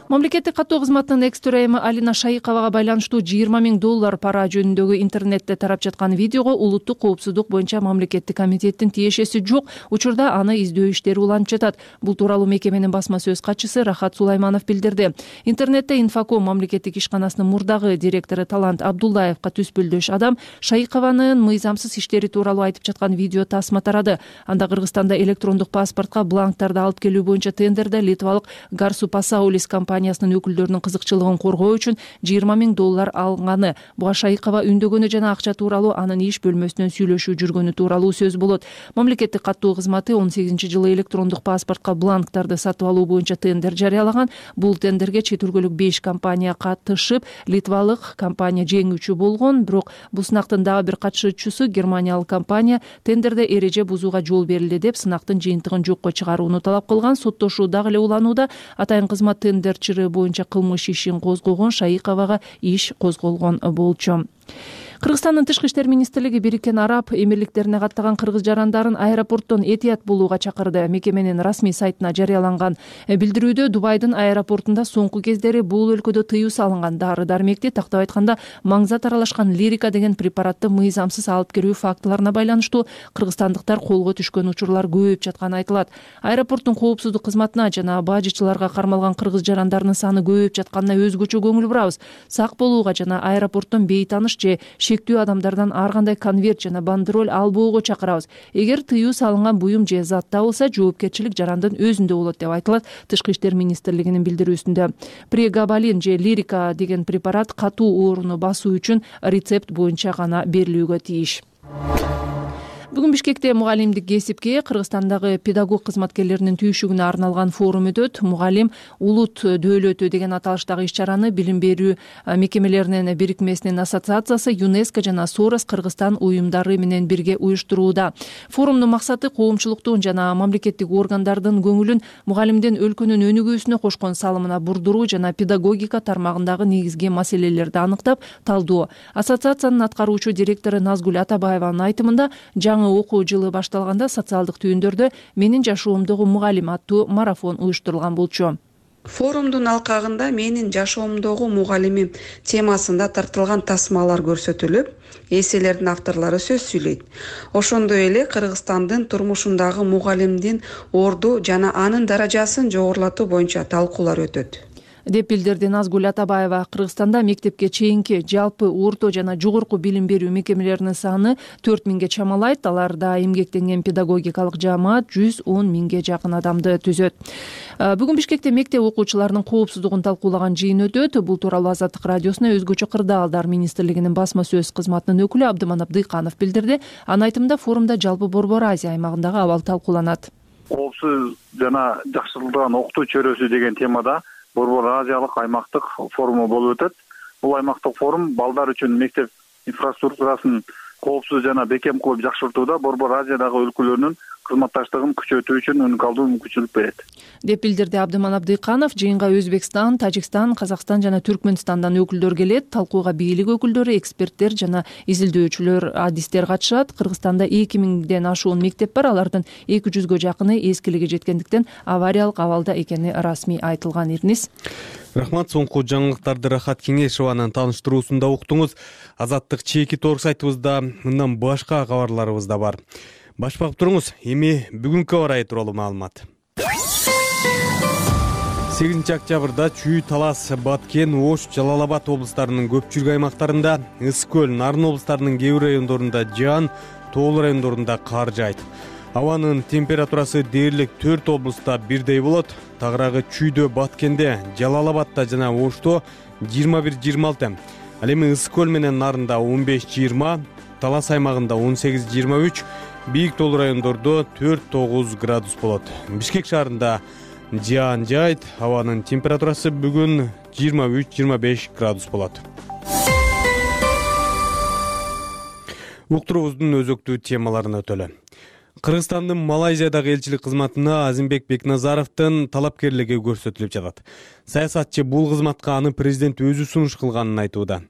Мамлекеттик каттоо кызматынын экс-төрайымы Алина Шайыковага байланыштуу $20,000 пара жөнүндөгү интернетте тарап жаткан видеого улуттук коопсуздук боюнча мамлекеттик комитеттин тиешеси жок. Учурда аны издөө иштери уланып жатат. Бул тууралуу мекеменин басма сөз катчысы Рахат Сулайманов билдирди. Интернетте Инфоком мамлекеттик ишканасынын мурдагы директору Талант Абдуллаевка түспүлдөш адам Шайыкованын мыйзамсыз иштери тууралуу айтып жаткан видео тасма тарады. Анда Кыргызстанда электрондук паспортко бланктарды алып келүү боюнча тендерде литвалык Гарсу Пасаулис компаниясынын өкүлдөрүнүн кызыкчылыгын коргоо үчүн $20,000 алганы. Буга Шайыкова үндөгөнү жана акча тууралуу анын иш бөлмөсүнөн сүйлөшүү жүргөнү тууралуу сөз болот. Мамлекеттик каттоо кызматы 18 жылы электрондук паспортко бланктарды сатып алуу боюнча тендер жарыялаган. Бул тендерге чет өлкөлүк 5 компания катышып, литвалык компания жеңүүчү болгон. Бирок бул сынактын дагы бир катышуучусу германиялык компания тендерде эреже бузууга жол берилди деп сынактын жыйынтыгын жокко чыгарууну талап кылган. Соттошуу дагы эле уланууда. Атайын кызмат тендерчири боюнча кылмыш ишин козгогон, Шайыковага иш козголгон болчу. Кыргызстандын Тышкы иштер министрлиги Бириккен Араб Эмирликтерине каттаган кыргыз жарандарын аэропорттон этият болууга чакырды. Мекеменин расмий сайтына жарыяланган билдирүүдө Дубайдын аэропортунда соңку кездери бул өлкөдө тыюу салынган дары-дармекти, тактап айтканда маңзат аралашкан лирика деген препаратты мыйзамсыз алып кирүү фактыларына байланыштуу кыргызстандыктар колго түшкөн учурлар көбөйүп жатканы айтылат. Аэропорттун коопсуздук кызматына жана бажычыларга кармалган кыргыз жарандарынын саны көбөйүп жатканына өзгөчө көңүл бурабыз. Сак болууга жана аэропорттон бейтааныш же шектүү адамдардан ар кандай конверт жана бандероль албоого чакырабыз. Эгер тыюу салынган буюм же зат табылса, жоопкерчилик жарандын өзүндө болот деп айтылат Тышкы иштер министрлигинин билдирүүсүндө. Прегабалин же лирика деген препарат катуу ооруну басуу үчүн рецепт боюнча гана берилүүгө тийиш. Бүгүн Бишкекте мугалимдик кесипке, Кыргызстандагы педагог кызматкерлеринин түйшүгүнө арналган форум өтөт. Мугалим улут дөөлөтү деген аталыштагы иш-чараны билим берүү мекемелеринин бирикмесинин ассоциациясы, ЮНЕСКО жана Сорос Кыргызстан уюмдары менен бирге уюштурууда. Форумдун максаты коомчулуктун жана мамлекеттик органдардын көңүлүн мугалимдин өлкөнүн өнүгүүсүнө кошкон салымына бурдуруу жана педагогика тармагындагы негизги маселелерди аныктап талдоо. Ассоциациянын аткаруучу директору Назгүл Атабаеванын айтымында, жаңы окуу жылы башталганда социалдык түйүндөрдө менин жашоомдогу мугалим аттуу марафон уюштурулган болчу. Форумдун алкагында менин жашоомдогу мугалимим темасында тартылган тасмалар көрсөтүлүп, эсселердин авторлору сөз сүйлөйт. Ошондой эле Кыргызстандын турмушундагы мугалимдин орду жана анын даражасын жогорулатуу боюнча талкуулар өтөт деп билдирди Назгүл Атабаева. Кыргызстанда мектепке чейинки жалпы орто жана жогорку билим берүү мекемелеринин саны 4000 чамалайт. Аларда эмгектенген педагогикалык жаамат 110 000 жакын адамды түзөт. Бүгүн Бишкекте мектеп окуучуларынын коопсуздугун талкуулаган жыйын өтөт. Бул тууралуу Азаттык радиосуна өзгөчө кырдаалдар министрлигинин басма сөз кызматынын өкүлү Абдыманап Дыйканов билдирди. Анын айтымында форумда жалпы Борбор Азия аймагындагы абал талкууланат. Коопсуз жана жакшыртылган окутуу чөйрөсү деген темада Борбор Азиялык аймактык форуму болуп өтөт. Бул аймактык форум балдар үчүн мектеп инфраструктурасын коопсуз жана бекем кылып жакшыртууда Борбор Азиядагы өлкөлөрнүн кызматташтыгын күчөтүү үчүн уникалдуу мүмкүнчүлүк берет деп билдирди Абдыманап Дыйканов. Жыйынга Өзбекстан, Тажикстан, Казакстан жана Түркмөнстандан өкүлдөр келет. Талкууга бийлик өкүлдөрү, эксперттер жана изилдөөчүлөр, адистер катышат. Кыргызстанда 2000ден ашуун мектеп бар. Алардын 200гө жакыны эскилиги жеткендиктен авариялык абалда экени расмий айтылган. Ирнис. Рахмат. Соңку жаңылыктарды Рахат Кеңешованын тааныштыруусунда уктуңуз. Азаттык чеки торг сайтыбызда мындан башка кабарларыбыз да бар. Баш багып туруңуз. Эми бүгүнкү аба ырайы тууралуу маалымат. 8 октябрда Чүй, Талас, Баткен, Ош, Жалал-Абад облустарынын көпчүлүк аймактарында, Ысык-Көл, Нарын облустарынын кээ бир райондорунда жаан, тоол райондорунда кар жаайт. Абанын температурасы дээрлик 4 облуста бирдей болот. Тагыраагы Чүйдө, Баткенде, Жалал-Абадта жана Ошто 21-26. Ал эми Ысык-Көл менен Нарында 15-20, Талас аймагында 18-23, бийик тоол райондордо 4-9 градус болот. Бишкек шаарында жаан жаайт. Абанын температурасы бүгүн 23-25 градус болот. Уктуруубуздун өзөктүү темаларына өтөлү. Кыргызстандын Малайзиядагы элчилик кызматына Азимбек Бекназаровдун талапкерлиги көрсөтүлүп жатат. Саясатчы бул кызматка аны президент өзү сунуш кылганын айтууда.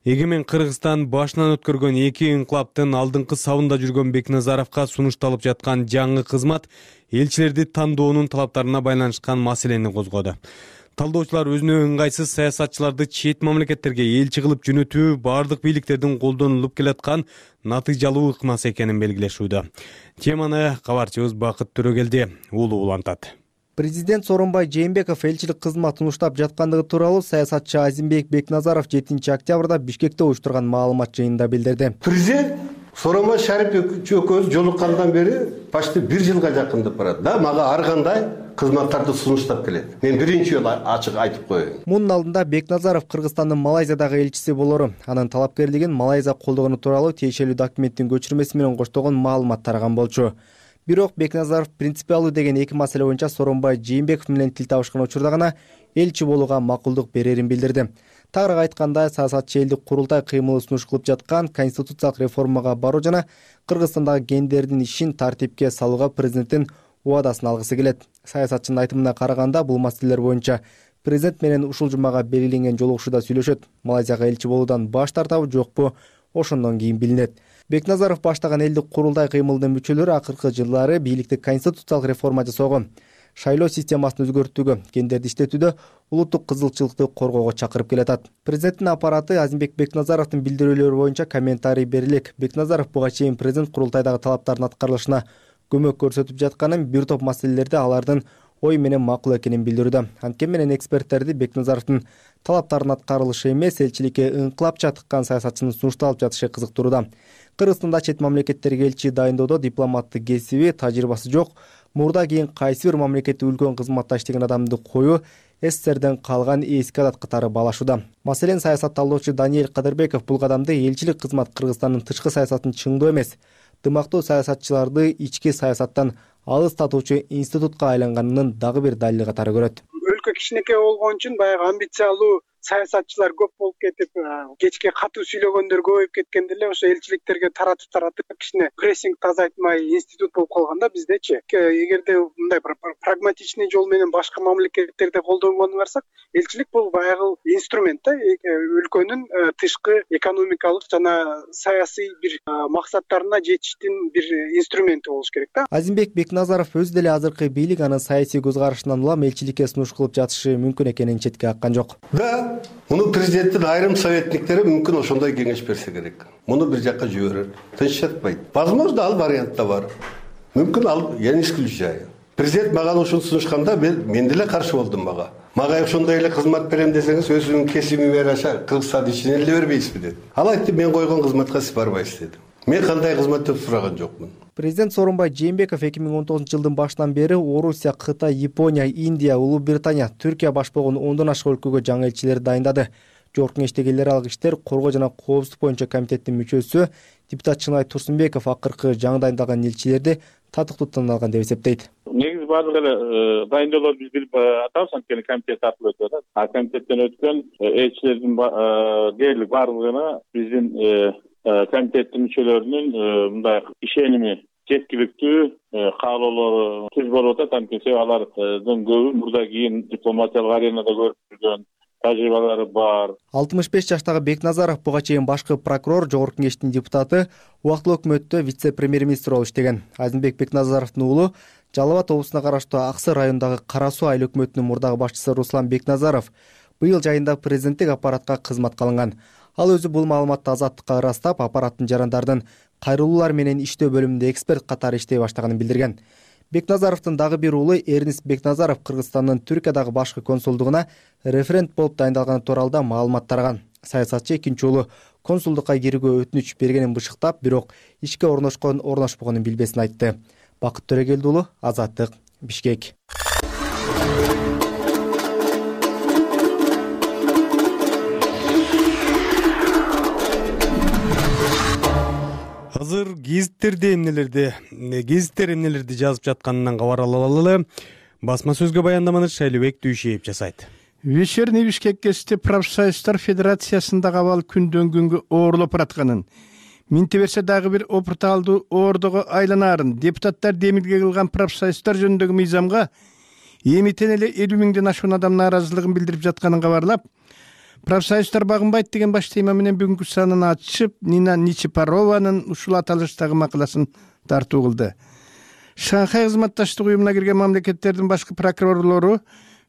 Эгемен Кыргызстан башынан өткөргөн 2 инкылаптын алдыңкы сабында жүргөн Бекназаровго сунушталып жаткан жаңы кызмат элчилерди тандоонун талаптарына байланышкан маселени козгоду. Талдоочулар өзүнө ыңгайсыз саясатчыларды чет мамлекеттерге элчи кылып жөнөтүү бардык бийликтердин колдонулуп келаткан натыйжалуу ыкмасы экенин белгилешүүдө. Теманы кабарчыбыз Бакыт Төрөгелди улантат. Президент Сооронбай Жээнбеков элчилик кызмат сунуштап жаткандыгы тууралуу саясатчы Азимбек Бекназаров 7 октябрда Бишкекте уюштурган маалымат жыйынында билдирди. Президент Сооронбай Шарипович экөөбүз жолуккандан бери почти 1 жылга жакындап барат. Да, мага ар кандай кызматтарды сунуштап келет. Мен биринчи жолу ачык айтып коеюн. Мунун алдында Бекназаров Кыргызстандын Малайзиядагы элчиси болору, анын талапкерлигин Малайзия колдогону тууралуу тиешелүү документтин көчүрмеси менен коштогон маалымат тараган болчу. Бирок Бекназаров принципиалдуу деген 2 маселе боюнча Сооронбай Жээнбеков менен тил табышкан учурда гана элчи болууга макулдук берерин билдирди. Тагыраак айтканда, саясатчы элдик курултай кыймылы сунуш кылып жаткан конституциялык реформага баруу жана Кыргызстандагы гендердин ишин тартипке салууга президенттин убадасын алгысы келет. Саясатчынын айтымына караганда, бул маселелер боюнча президент менен ушул жумага белгиленген жолугушууда сүйлөшөт. Малайзияга элчи болуудан баш тартабы жокпу, ошондон кийин билинет. Бекназаров баштаган элдик курултай кыймылдын мүчөлөрү акыркы жылдары бийликти конституциялык реформа жасоого, шайлоо системасын өзгөртүүгө, гендерди иштетүүдө улуттук кызыкчылыкты коргоого чакырып келатат. Президенттин аппараты Азимбек Бекназаровдун билдирүүлөрү боюнча комментарий берилик. Бекназаров буга чейин президент курултайдагы талаптардын аткарылышына көмөк көрсөтүп жатканын, бир топ маселелерде алардын ой менен макул экенин билдирүүдө. Анткени менен эксперттерди Бекназаровдун талаптарынын аткарылышы эмес, элчиликке ыңкылапча тыккан саясатчынын сунушталып жатышы кызыктырууда. Кыргызстанда чет мамлекеттерге элчи дайындоодо дипломаттык кесиби, тажрыйбасы жок, мурда кийин кайсы бир мамлекетте үлкөн кызматта иштеген адамды коюу СССРден калган эски адат катары баалашууда. Маселен, саясат талдоочу Даниэль Кадырбеков бул кадамды элчилик кызмат Кыргызстандын тышкы саясатын чыңдоо эмес, ынтымактуу саясатчыларды ички саясаттан алыс татуучу институтка айланганынын дагы бир далили катары көрөт. Өлкө кичинекей болгон үчүн баягы амбициялуу саясатчылар көп болуп кетип, кечке катуу сүйлөгөндөр көбөйүп кеткенде эле ошо элчиликтерге таратып кичине прессингди азайтмай институт болуп калганда биздечи эгерде мындай прагматичный жол менен башка мамлекеттерде колдонгонду карасак, элчилик бул баягы инструмент да, өлкөнүн тышкы экономикалык жана саясий бир максаттарына жетиштин бир инструменти болуш керек да. Азимбек Бекназаров өзү деле азыркы бийлик анын саясий көз карашынан улам элчиликке сунуш кылып жатышы мүмкүн экенин четке каккан жок. Да, муну президенттин айрым советниктери мүмкүн ошондой кеңеш берсе керек. Муну бир жакка жиберер. Тынч жатпайт. Возможно, ал вариант да бар. Мүмкүн ал я не исключаю. Президент мага ушуну сунушканда мен деле каршы болдум мага. Мага ошондой эле кызмат берем десеңиз, өзүнүн кесиби жараша Кыргызстан ичине эле бербейсизби деп. Ал айтты, мен койгон кызматка сиз барбайсыз деди. Мен кандай кызмат деп сураган жокмун. Президент Сооронбай Жээнбеков 2019-жылдын башынан бери Орусия, Кытай, Япония, Индия, Улуу Британия, Түркия баш болгон 10дон ашык өлкөгө жаңы элчилер дайындады. Жогорку Кеңештеги эл аралык иштер коргоо жана коопсуздук боюнча комитеттин мүчөсү депутат Чынай Турсунбеков акыркы жаңы дайындалган элчилерди татыктуу тандалган деп эсептейт. Негизи баардык эле дайындоолорду биз билип атабыз, анткени комитет аркылуу өтөт. А комитеттен өткөн элчилердин дээрлик баардыгына биздин комитеттин мүчөлөрүнүн мындай ишеними жеткиликтүү, каалоолору түз болуп атат. Анткени алардын көбү мурда кийин дипломатиялык аренада көрүп жүргөн тажрыйбалары бар. 65 жаштагы Бекназаров буга чейин башкы прокурор, жогорку кеңештин депутаты, убактылуу өкмөттө вице-премьер-министр болуп иштеген. Азимбек Бекназаровдун уулу Жалал Абад облусуна караштуу Аксы районундагы Кара Суу айыл өкмөтүнүн мурдагы башчысы Руслан Бекназаров быйыл жайында президенттик аппаратка кызматка алынган. Ал өзү бул маалыматты Азаттыкка ырастап, аппараттын жарандардын кайрылуулар менен иштөө бөлүмүндө эксперт катары иштей баштаганын билдирген. Бекназаровдун дагы бир уулу Эрнис Бекназаров Кыргызстандын Түркиядагы башкы консулдугуна референт болуп дайындалганы тууралуу да маалымат тараган. Саясатчы экинчи уулу консулдукка кирүүгө өтүнүч бергенин бышыктап, бирок ишке орношпогонун билбесин айтты. Бакыт Төрөгелди уулу, Азаттык, Бишкек. Азыр гезиттер эмнелерди жазып жатканынан кабар ала алалы. Басма сөзгө баяндаманы Шайлыбек Дүйшеев жасайт. Вечерний Бишкек кесте профсоюздар федерациясында абал күндөн күнгө оорлоп баратканын, минте берсе дагы бир опурталдуу оордого айланаарын депутаттар демилге кылган профсоюздар жөнүндөгү мыйзамга эмитен эле 50 миңден ашуун адам нааразылыгын билдирип жатканын кабарлап, профсоюздар багынбайт деген баш тема менен бүгүнкү санын ачып, Нина Ничипарованын ушул аталыштагы макаласын тартуу кылды. Шанхай кызматташтык уюмуна кирген мамлекеттердин башкы прокурорлору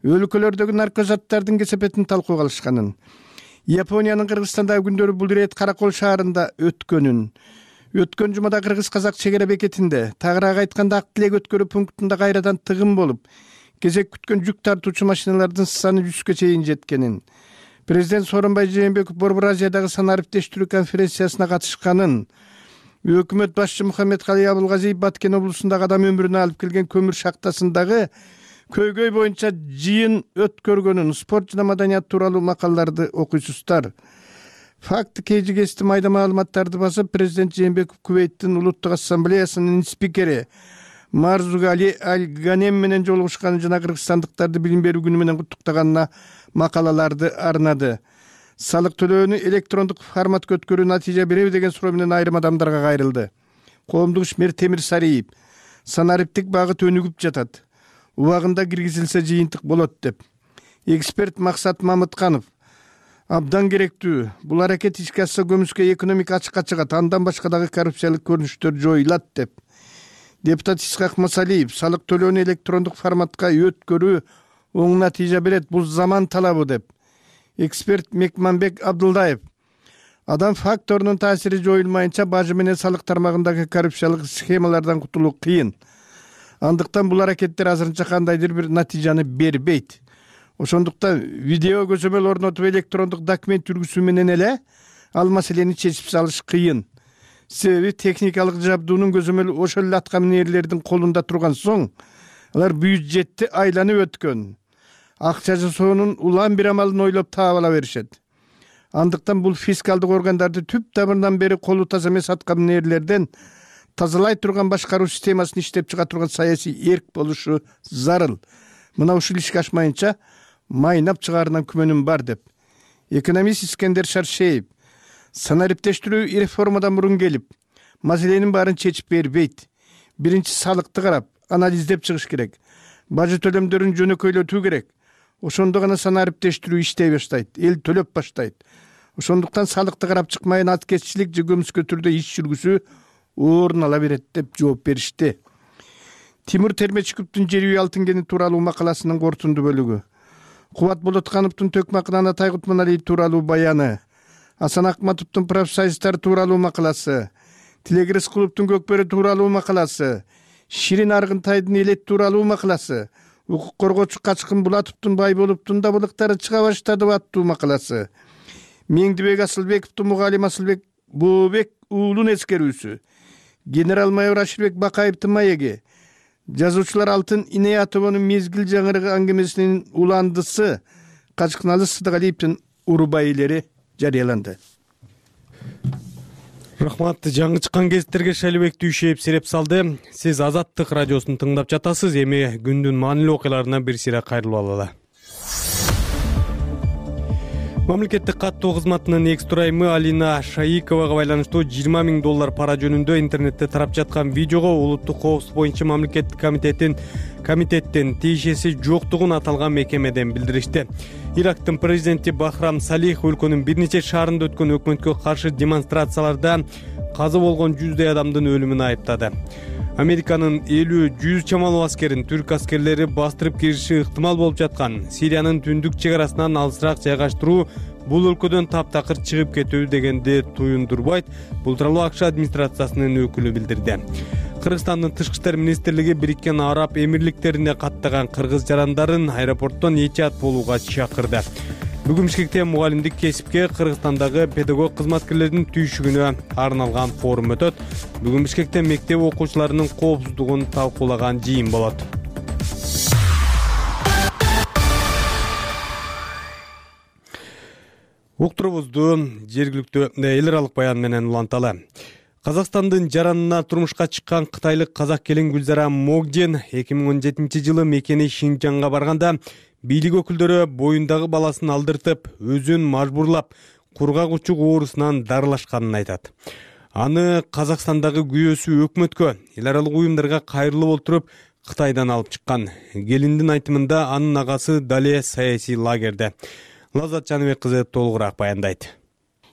өлкөлөрдөгү наркозаттардын кесепетин талкууга алышканын, Япониянын Кыргызстандагы күндөрү бул ирет Каракол шаарында өткөн жумада кыргыз-казак чегара бекетинде, тагыраак айтканда Ак Тилек өткөрүү пунктунда кайрадан тыгын болуп, кезек күткөн жүк тартуучу машиналардын саны 100га чейин жеткенин, президент Сооронбай Жээнбеков Борбор Азиядагы санариптештирүү конференциясына катышканын, өкмөт башчы Мухаммедкалый Абылгазиев Баткен облусундагы адам өмүрүнө алып келген көмүр шахтасындагы көйгөй боюнча жыйын өткөргөнүн, спорт жана маданият тууралуу макалаларды окуйсуздар. Факты KGS майда маалыматтарды басып, президент Жээнбеков Кувейттин Улуттук ассамблеясынын спикери Марзугали Аль-Ганем менен жолугушканы жана кыргызстандыктарды билим берүү күнү менен куттуктаганына макалаларды арнады. Салык төлөөнү электрондук форматка өткөрүү натыйжа береби деген суроо менен айрым адамдарга кайрылды. Коомдук ишмер Темир Сариев санариптик багыт өнүгүп жатат, убагында киргизилсе жыйынтык болот деп. Эксперт Максат Мамытканов абдан керектүү. Бул аракет ишке ашса көмүскө экономика ачыкка чыгат, андан башка дагы коррупциялык көрүнүштөр жоюлат деп. Депутат Исхак Масалиев салык төлөөнү электрондук форматка өткөрүү оң натыйжа берет, бул заман талабы деп. Эксперт Мекманбек Абдылдаев адам факторунун таасири жоюлмайынча бажы менен салык тармагындагы коррупциялык схемалардан кутулуу кыйын. Андыктан бул аракеттер азырынча кандайдыр бир натыйжаны бербейт. Ошондуктан видео көзөмөл орнотуп электрондук документ жүргүзүү менен эле ал маселени чечип салыш кыйын. Себеби техникалык жабдуунун көзөмөлү ошол эле аткаминерлердин колунда турган соң, алар бюджетти айланып өткөн. Акча жасоонун улам бир амалын ойлоп таап ала беришет. Андыктан бул фискалдык органдарды түп тамырынан бери колу таза эмес аткаминерлерден тазалай турган башкаруу системасын иштеп чыга турган саясий эрк болушу зарыл. Мына ушул ишке ашмайынча майнап чыгаарынан күмөнүм бар деп экономист Искендер Шаршеев санариптештирүү реформадан мурун келип, маселенин баарын чечип бербейт. Биринчи салыкты карап, анализдеп чыгыш керек. Бажы төлөмдөрүн жөнөкөйлөтүү керек. Ошондо гана санариптештирүү иштей баштайт, эл төлөп баштайт. Ошондуктан салыкты карап чыкмайын аткезчилик же көмүскө түрдө иш жүргүзүү орун ала берет деп жооп беришти. Тимур Термечиковдун Жер үй алтын кени тууралуу макаласынын кортунду бөлүгү. Кубат Болоткановдун Төкмакынан Атай Кутманалиев тууралуу баяны. Асан Акматовдун профсоюздар тууралуу макаласы. Тилек Рыскуловдун Көкбөрү тууралуу макаласы. Ширин Аргынтайдын Элет тууралуу макаласы. Укук коргоочу Качкын Булатовдун Байболовдун дабылыктары чыга баштады аттуу макаласы. Меңдибек Асылбековдун Мугалим Асылбек Бообек уулун эскерүүсү. Генерал-майор Аширбек Бакаевдин маеги. Жазуучулар Алтын Инаятованын Мезгил жаңырыгы аңгемесинин уландысы Качкыналы Сыдыгалиевдин Урубайлери жарыяланды. Рахмат, жаңы чыккан гезиттерге Шайлыбек Дүйшеев сереп салды. Сиз Азаттык радиосун тыңдап жатасыз. Эми күндүн маанилүү окуяларына бир сыйра кайрылып алалы. Мамлекеттик каттоо кызматынын экс тураймы Алина Шаиковага байланыштуу $20,000 пара жөнүндө интернетте тарап жаткан видеого улуттук коопсуздук боюнча мамлекеттик комитеттин тиешеси жоктугун аталган мекемеден билдиришти. Ирактын президенти Бахрам Салих өлкөнүн бир нече шаарында өткөн өкмөткө каршы демонстрацияларда каза болгон 100 адамдын өлүмүн айыптады. Американын 50-100 чамалуу аскерин түрк аскерлери бастырып кириши ыктымал болуп жаткан Сириянын түндүк чек арасынан алысыраак жайгаштыруу бул өлкөдөн таптакыр чыгып кетүү дегенди туюндурбайт, бул тууралуу АКШ администрациясынын өкүлү билдирди. Кыргызстандын тышкы иштер министрлиги Бириккен Араб Эмирликтерине каттаган кыргыз жарандарын аэропорттон этият болууга чакырды. Бүгүн Бишкекте мугалимдик кесипке Кыргызстандагы педагог кызматкерлердин түйшүгүнө арналган форум өтөт. Бүгүн Бишкекте мектеп окуучуларынын коопсуздугун талкуулаган жыйын болот. Уктурубузду жергиликтүү эл аралык баян менен уланталы. Казакстандын жаранына турмушка чыккан кытайлык казак келин Гүлзара Могдин 2017-жылы мекени Шинжаңга барганда бийлик өкүлдөрү боюндагы баласын алдыртып, өзүн мажбурлап, кургак учук оорусунан дарылашканын айтат. Аны Казакстандагы күйөөсү өкмөткө, эл аралык уюмдарга кайрылып отуруп, Кытайдан алып чыккан. Келиндин айтымында анын агасы дале саясий лагерде. Лаззат Жаныбек кызы толугураак баяндайт.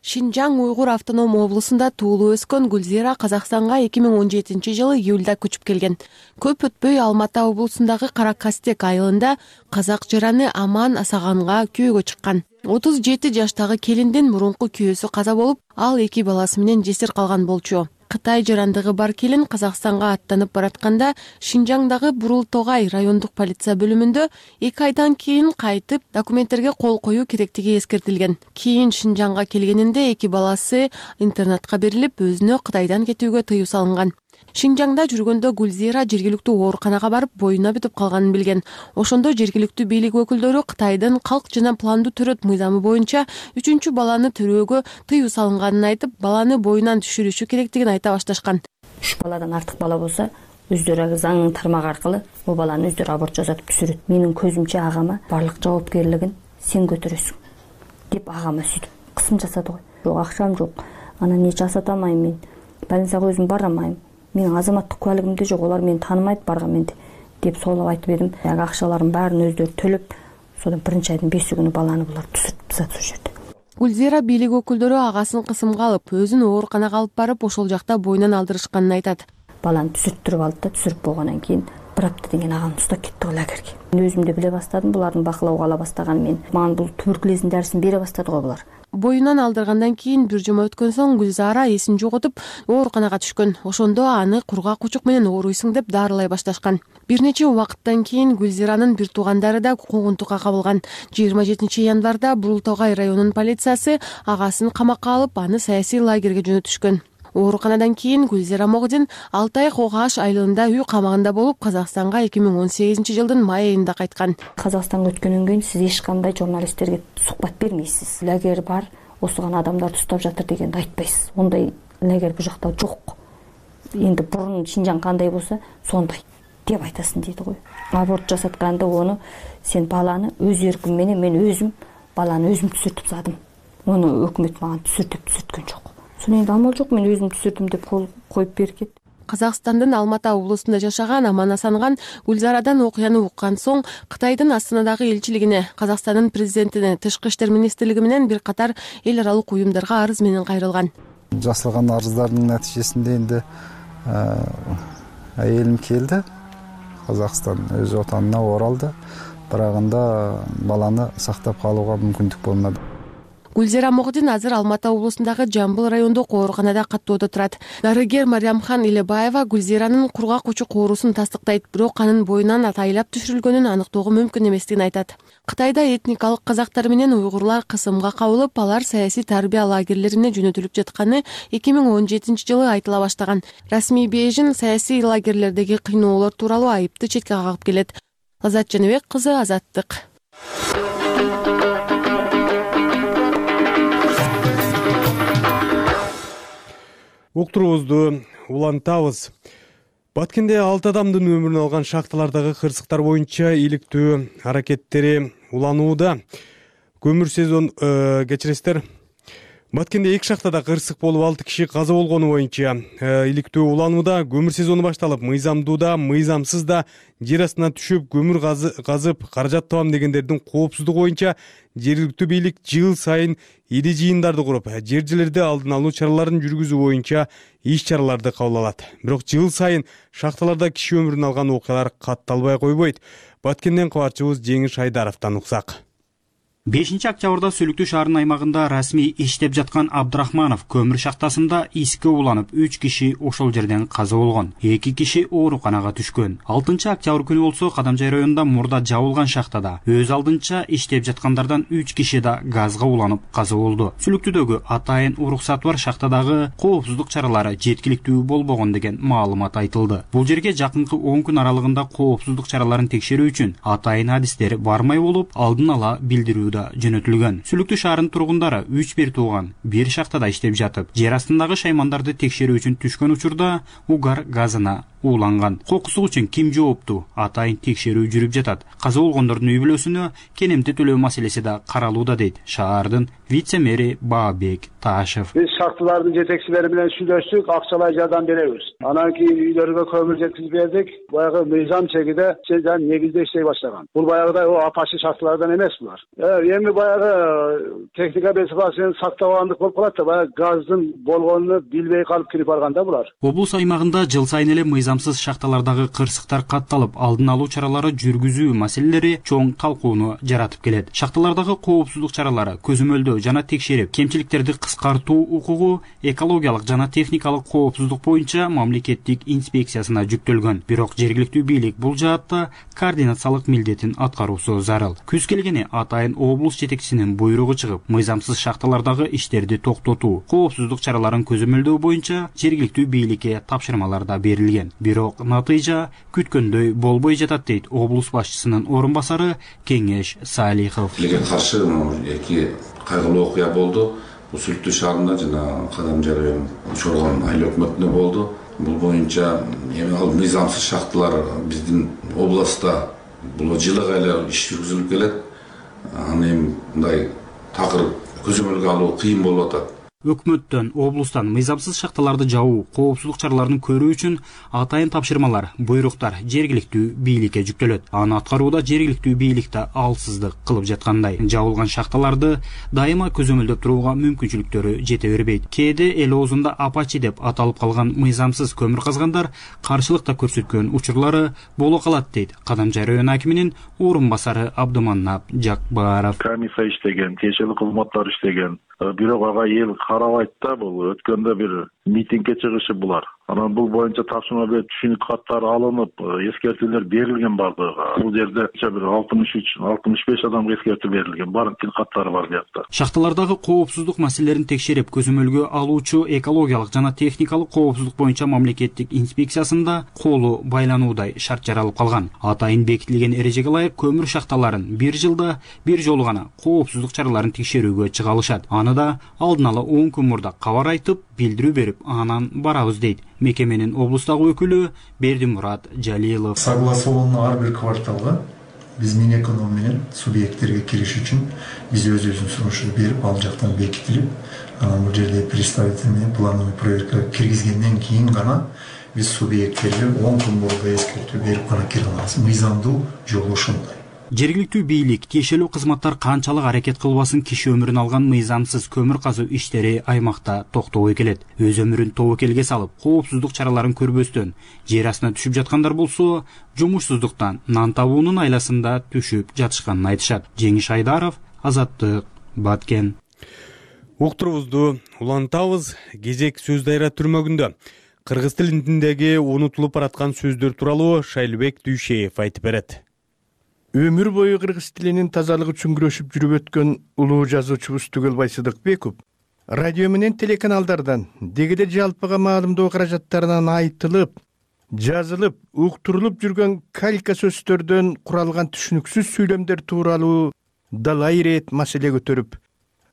Шинжаң Уйгур автоном облусунда туулуп өскөн Гүлзира Казакстанга 2017-жылы июлда көчүп келген. Көп өтпөй Алматы облусундагы Каракастек айылында казак жараны Аман Асаганга күйөөгө чыккан. 37 жаштагы келиндин мурунку күйөөсү каза болуп, ал 2 баласы менен жесир калган болчу. Кытай жарандыгы бар келин Казакстанга аттанып баратканда Шинжаңдагы Бурултогай райондук полиция бөлүмүндө 2 айдан кийин кайтып документтерге кол коюу керектиги эскертилген. Кийин Шинжаңга келгенинде 2 баласы интернатка берилип, өзүнө Кытайдан кетүүгө тыюу салынган. Шинжаңда жүргөндө Гүлзира жергиликтүү ооруканага барып боюна бүтүп калганын билген. Ошондо жергиликтүү бийлик өкүлдөрү Кытайдын калк жана пландуу төрөт мыйзамы боюнча 3-чү баланы төрөөгө тыюу салынганын айтып, баланы боюнан түшүрүшү керектигин айта башташкан. 3 баладан артык бала болсо, өздөрү заңдын тармагы аркылы бул баланы өздөрү аборт жасатып түшүрөт. Менин көзүмчө агама барлык жоопкерлигин сен көтөрөсүң деп агама сүйтүп кысым жасады го. Жок, акчам жок. Анан эч жасата алмайм мен. Больницага өзүм бара алмайм. Менин азаматтык куәлигим да жок, олар мени таанымайт барган менди деп соолап айтып едим. Ага акчаларын баарын өздөрү төлөп, содан 1-айдын 5-күнү баланы булар түсүрүп тастады ошол жерде. Гүлзира бийлик өкүлдөрү агасын кысымга алып, өзүн ооруканага алып барып, ошол жакта боюнан алдырышканын айтат. Баланы түсүртүрүп алды да, түсүрүп болгондон кийин 1 апта деген агам устап кетти го лагерге. Мен өзүм да биле баштадым, булардын бакылоого ала баштаган мен. Мага бул туберкулездин дарысын бере баштады го булар. Боюнан алдыргандан кийин бир жума өткөн соң Гүлзара эсин жоготуп, ооруканага түшкөн. Ошондо аны кургак учук менен ооруйсуң деп дарылай башташкан. Бир нече убакыттан кийин Гүлзиранын бир туугандары да куугунтукка кабылган. 27 январда Бурултогай районунун полициясы агасын камакка алып, аны саясий лагерге жөнөтүшкөн. Ооруканадан кийин Гүлзира Могдин 6 ай Когаш айылында үй камагында болуп, Казакстанга 2018-жылдын май айында кайткан. Казакстанга өткөндөн кийин сиз эч кандай журналисттерге сухбат бермейсиз. Лагер бар, осуган адамдарды уштап жатыр дегенди айтпайсыз. Ондай лагер бул жакта жок. Енді бұрын Шинжаң қандай болса, сондай деп айтасың дейді ғой. Аборт жасатканда оны сен баланы өз еркімменен мен өзім баланы өзім түсіртіп задым. Оны өкмөт маған түсір деп түсірткен жоқ. Соны енді амал жоқ, мен өзім түсірдім деп қол қойып берген. Казакстандын Алматы облусунда жашаган Аман Асанган Гүлзарадан окуяны уккан соң Кытайдын Астанадагы элчилигине, Казакстандын президентине, Тышкы иштер министрлиги менен бир катар эл аралык уюмдарга арыз менен кайрылган. Жасалган арыздардын натыйжесинде энди айылым келди. Казакстан өз отанына оралды. Бирок анда баланы сактап калууга мүмкүндүк болмады. Гүлзира Могодин азыр Алматы облусундагы Жамбыл райондук ооруканада каттоодо турат. Дарыгер Мариямхан Илебаева Гүлзиранын кургак учук оорусун тастыктайт, бирок анын боюнан атайлап түшүрүлгөнүн аныктоого мүмкүн эместигин айтат. Кытайда этникалык казактар менен уйгурлар кысымга кабылып, алар саясий тарбия лагерлерине жөнөтүлүп жатканы 2017-жылы айтыла баштаган. Расмий Бейжин саясий лагерлердеги кыйноолор тууралуу айыпты четке кагып келет. Азат Жаныбек кызы, Азаттык. Уктуруубузду улантабыз. Баткенде 6 адамдын өмүрүн алган шахталардагы кырсыктар боюнча иликтөө аракеттери уланууда. Көмүр сезон кечиресиздер. Баткенде 2 шахтада кырсык болуп 6 киши каза болгону боюнча иликтөө уланууда. Көмүр сезону башталып, мыйзамдуу мыйзамсыз да жер астына түшүп көмүр казып каражат табам дегендердин коопсуздугу боюнча жергиликтүү бийлик жыл сайын ири жыйындарды куруп, жер-жерлерде алдын алуу чараларын жүргүзүү боюнча иш-чараларды кабыл алат. Бирок жыл сайын шахталарда киши өмүрүн алган окуялар катталбай койбойт. Баткенден кабарчыбыз Жеңиш Айдаровдон уксак. 5-октябрда Сүлүктүү шаарынын аймагында расмий иштеп жаткан Абдрахманов көмүр шахтасында иске уланып 3 киши ошол жерден каза болгон. 2 киши ооруканага түшкөн. 6-октябрь күнү болсо Кадамжай районунда мурда жабылган шахтада өз алдынча иштеп жаткандардан 3 киши да газга уланып каза болду. Сүлүктүүдөгү атайын уруксаты бар шахтадагы коопсуздук чаралары жеткиликтүү болбогон деген маалымат айтылды. Бул жерге жакынкы 10 күн аралыгында коопсуздук чараларын текшерүү үчүн атайын адистер бармай болуп, алдын ала билдирүү жөнөтүлгөн. Сүлүктүү шаарынын тургундары 3 бир тууган бир шахтада иштеп жатып, жер астындагы шаймандарды текшерүү үчүн түшкөн учурда угар газына ууланган. Кокусу үчүн ким жооптуу? Атайын текшерүү жүрүп жатат. Каза болгондордун үй бүлөсүнө кенемти төлөө маселеси да каралууда дейт шаардын вице-мэри Баабек Таашев. Биз шахталардын жетекчилери менен сүйлөштүк, акчалай жардам беребиз. Анан кийин үйлөргө көмүр жеткизип бердик. Баягы мыйзам чегиде негизде иштей баштаган. Бул баягыдай апачы шахталардан эмес булар. Эми баягы техника безопасностьун сактабагандык болуп калат да, баягы газдын болгонун билбей калып кирип барганда булар. Облус аймагында жыл сайын эле мыйзамсыз шахталардагы кырсыктар катталып, алдын алуу чаралары жүргүзүү маселелери чоң талкууну жаратып келет. Шахталардагы коопсуздук чаралары көзөмөлдөө жана текшерип, кемчиликтерди кыскартуу укугу экологиялык жана техникалык коопсуздук боюнча мамлекеттик инспекциясына жүктөлгөн. Бирок жергиликтүү бийлик бул жаатта координациялык милдетин аткаруусу зарыл. Күз келгени атайын облус жетекчисинин буйругу чыгып, мыйзамсыз шахталардагы иштерди токтотуу, коопсуздук чараларын көзөмөлдөө боюнча жергиликтүү бийликке тапшырмалар да берилген. Бирок натыйжа күткөндөй болбой жатат дейт облус башчысынын орун басары Кеңеш Салихов. Тилге каршы эки кайгылуу окуя болду. Бул Сүлүктүү шаарында жана Кадамжай районунун Чоргон айыл өкмөтүндө болду. Бул боюнча эми ал мыйзамсыз шахталар биздин областта бул жылыга эле иш жүргүзүлүп келет. Аны эми мындай такыр көзөмөлгө алуу кыйын болуп атат. Өкмөттөн, облустан мыйзамсыз шахталарды жабуу, коопсуздук чараларын көрүү үчүн атайын тапшырмалар, буйруктар жергиликтүү бийликке жүктөлөт. Аны аткарууда жергиликтүү бийлик да алсыздык кылып жаткандай. Жабылган шахталарды дайыма көзөмөлдөп турууга мүмкүнчүлүктөрү жете бербейт. Кээде эл оозунда апачы деп аталып калган мыйзамсыз көмүр казгандар каршылык да көрсөткөн учурлары боло калат дейт Кадамжай район акиминин орун басары Абдыманап Жакбаров. Комиссия иштеген, тиешелүү кызматтар иштеген. Бирок ага эл карабайт да, бул өткөндө бир митингге чыгышып булар. Анан бул боюнча тапшырма берип түшүнүк каттары алынып, эскертүүлөр берилген бардыгы. Бул жерде бир 63-65 адамга эскертүү берилген. Барын тил каттары бар биякта. Шахталардагы коопсуздук маселелерин текшерип, көзөмөлгө алуучу экологиялык жана техникалык коопсуздук боюнча мамлекеттик инспекциясында колу байлануудай шарт жаралып калган. Атайын бекитилген эрежеге ылайык көмүр шахталарын бир жылда бир жолу гана коопсуздук чараларын текшерүүгө чыга алышат. Аны да алдын ала 10 күн мурда кабар айтып, билдирүү берип анан барабыз дейт мекеменин облустагы өкүлү Бердимурат Жалилов. Согласованный ар бир кварталга биз Минэконом менен субъекттерге кириш үчүн биз өзүбүздүн сунушубузду берип, ал жактан бекитилип, анан бул жерде представительный плановый проектке киргизгенден кийин гана биз субъекттерге 10 күн мурда эскертүү берип гана кире алабыз. Мыйзамдуу жолу ошондой. Жергиликтүү бийлик, тиешелүү кызматтар канчалык аракет кылбасын киши өмүрүн алган мыйзамсыз көмүр казуу иштери аймакта токтобой келет. Өз өмүрүн тобокелге салып, коопсуздук чараларын көрбөстөн жер астына түшүп жаткандар болсо, жумушсуздуктан нан табуунун айласында түшүп жатышканын айтышат. Жеңиш Айдаров, Азаттык, Баткен. Уктурубузду улантабыз. Кезек сөз дайра түрмөгүндө. Кыргыз тилиндеги унутулуп бараткан сөздөр тууралуу Шайлыбек Дүйшеев айтып берет. Өмүр бою кыргыз тилинин тазалыгы үчүн күрөшүп жүрүп өткөн улуу жазуучубуз Түгөлбай Сыдыкбеков радио менен телеканалдардан дегиде жалпыга маалымдоо каражаттарынан айтылып, жазылып, уктурулуп жүргөн калька сөздөрдөн куралган түшүнүксүз сүйлөмдөр тууралуу далай ирет маселе көтөрүп,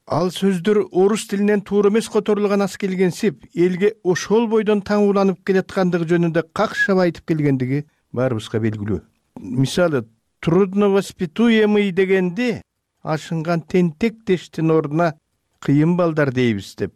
ал сөздөр орус тилинен туура эмес которулган аз келгенсип, элге ошол бойдон таң уланып келаткандыгы жөнүндө какшап айтып келгендиги баарыбызга белгилүү. Мисалы, трудновоспитуемый дегенде ашынган тентек дештин ордуна кыйын балдар дейбиз деп.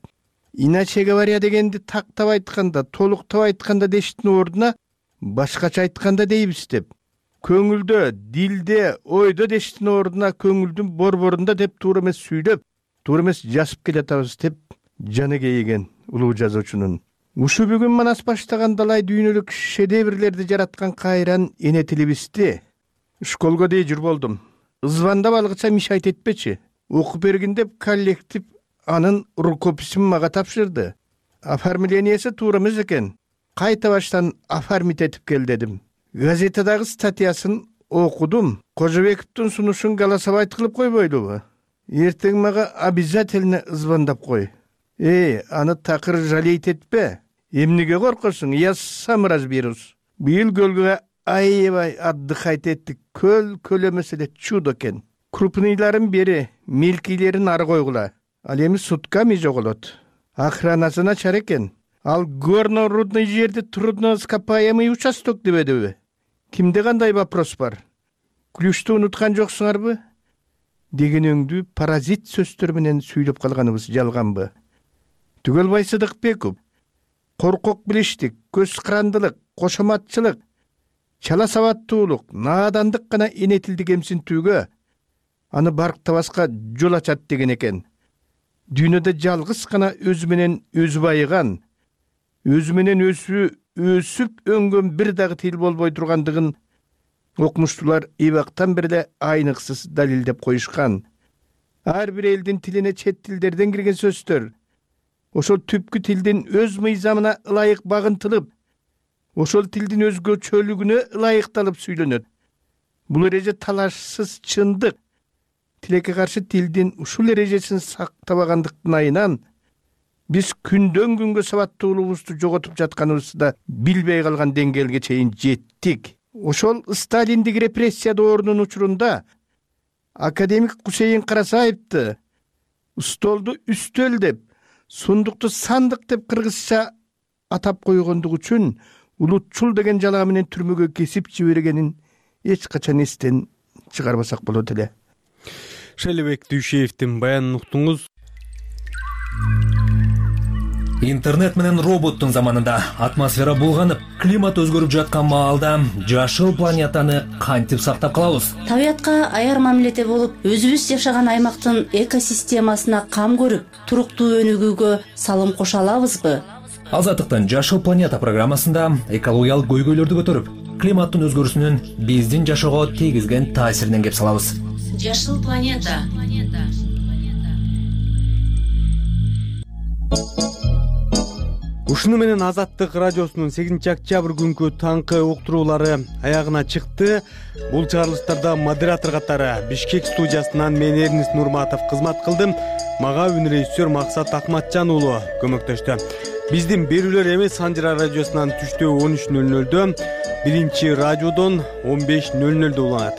Иначе говоря дегенди тактап айтканда, толуктап айтканда дештин ордуна башкача айтканда дейбиз деп. Көңүлдө, дилде, ойдо дештин ордуна көңүлдүн борборунда деп туура эмес сүйлөп, туура эмес жазып келатабыз деп жаны кейиген улуу жазуучунун. Ушу бүгүн манас баштаган далай дүйнөлүк шедеврлерди жараткан кайран эне тилибизди школго дей жүр болдум. Звандап алгыча мишайт этпечи. Окуп бергин деп коллектив анын рукописин мага тапшырды. Оформлениясы туура эмес экен. Кайта баштан оформить этип кел дедим. Газетадагы статьясын окудум. Кожобековдун сунушун голосовать кылып койбойлубу? Эртең мага обязательно звондап кой. Аны такыр жалейт этпе. Эмнеге коркосуң? Я сам разберусь. Быйыл көлгө аябай отдыхать эттик. Көл эмес эле чудо экен. Крупныйларын бери, мелкийлерин ары койгула. Ал эми сутками жоголот. Охранасы начар экен. Ал горно-рудный жерде трудноископаемый участок дебедиби? Кимде кандай вопрос бар? Ключту унуткан жоксуңарбы? Дегенеңдүү паразит сөздөр менен сүйлөп калганыбыз жалганбы? Түгөлбай Сыдыкбеков коркок билиштик, көз карандылык, кошоматчылык, чала сабаттуулук, наадандык гана эне тилди кемсинтүүгө, аны барктабаска жол ачат деген экен. Дүйнөдө жалгыз гана өзү менен өзү байыган, өзү менен өсүп өңгөн бир дагы тил болбой тургандыгын окумуштуулар эбактан бери айныксыз далилдеп коюшкан. Ар бир элдин тилине чет тилдерден кирген сөздөр ошол түпкү тилдин өз мыйзамына ылайык багынтылып, ошол тилдин өзгөчөлүгүнө ылайыкталып сүйлөнөт. Бул эреже талашсыз чындык. Тилекке каршы тилдин ушул эрежесин сактабагандыктын айынан биз күндөн күнгө сабаттуулугубузду жоготуп жатканыбызды да билбей калган деңгээлге чейин жеттик. Ошол Сталиндик репрессия доорунун учурунда академик Кусейин Карасаевди столду үстөл деп, сундукту сандык деп кыргызча атап койгондугу үчүн улутчул деген жалаа менен түрмөгө кесип жибергенин эч качан эстен чыгарбасак болот эле. Шайлыбек Дүйшеевдин баянын уктуңуз. Интернет менен роботтун заманында атмосфера булганып, климат өзгөрүп жаткан маалда жашыл планетаны кантип сактап калабыз? Табиятка аяр мамиледе болуп, өзүбүз жашаган аймактын экосистемасына кам көрүп, туруктуу өнүгүүгө салым кошо алабызбы? Азаттыктын Жашыл планета программасында экологиялык көйгөйлөрдү көтөрүп, климаттын өзгөрүүсүнүн биздин жашоого тийгизген таасиринен кеп салабыз. Жашыл планета. Ушуну менен Азаттык радиосунун 8-октябрь күнкү таңкы уктуруулары аягына чыкты. Бул чыгарылыштарда модератор катары Бишкек студиясынан мен Эрнис Нурматов кызмат кылдым. Мага үн режиссер Максат Акматжан уулу көмөктөштү. Биздин берүүлөр эми Санжыра радиосунан түштө 13:00, биринчи радиодон 15:00 уланат.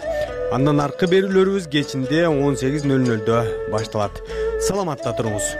Андан аркы берүүлөрүбүз кечинде 18:00 башталат. Саламатта туруңуз.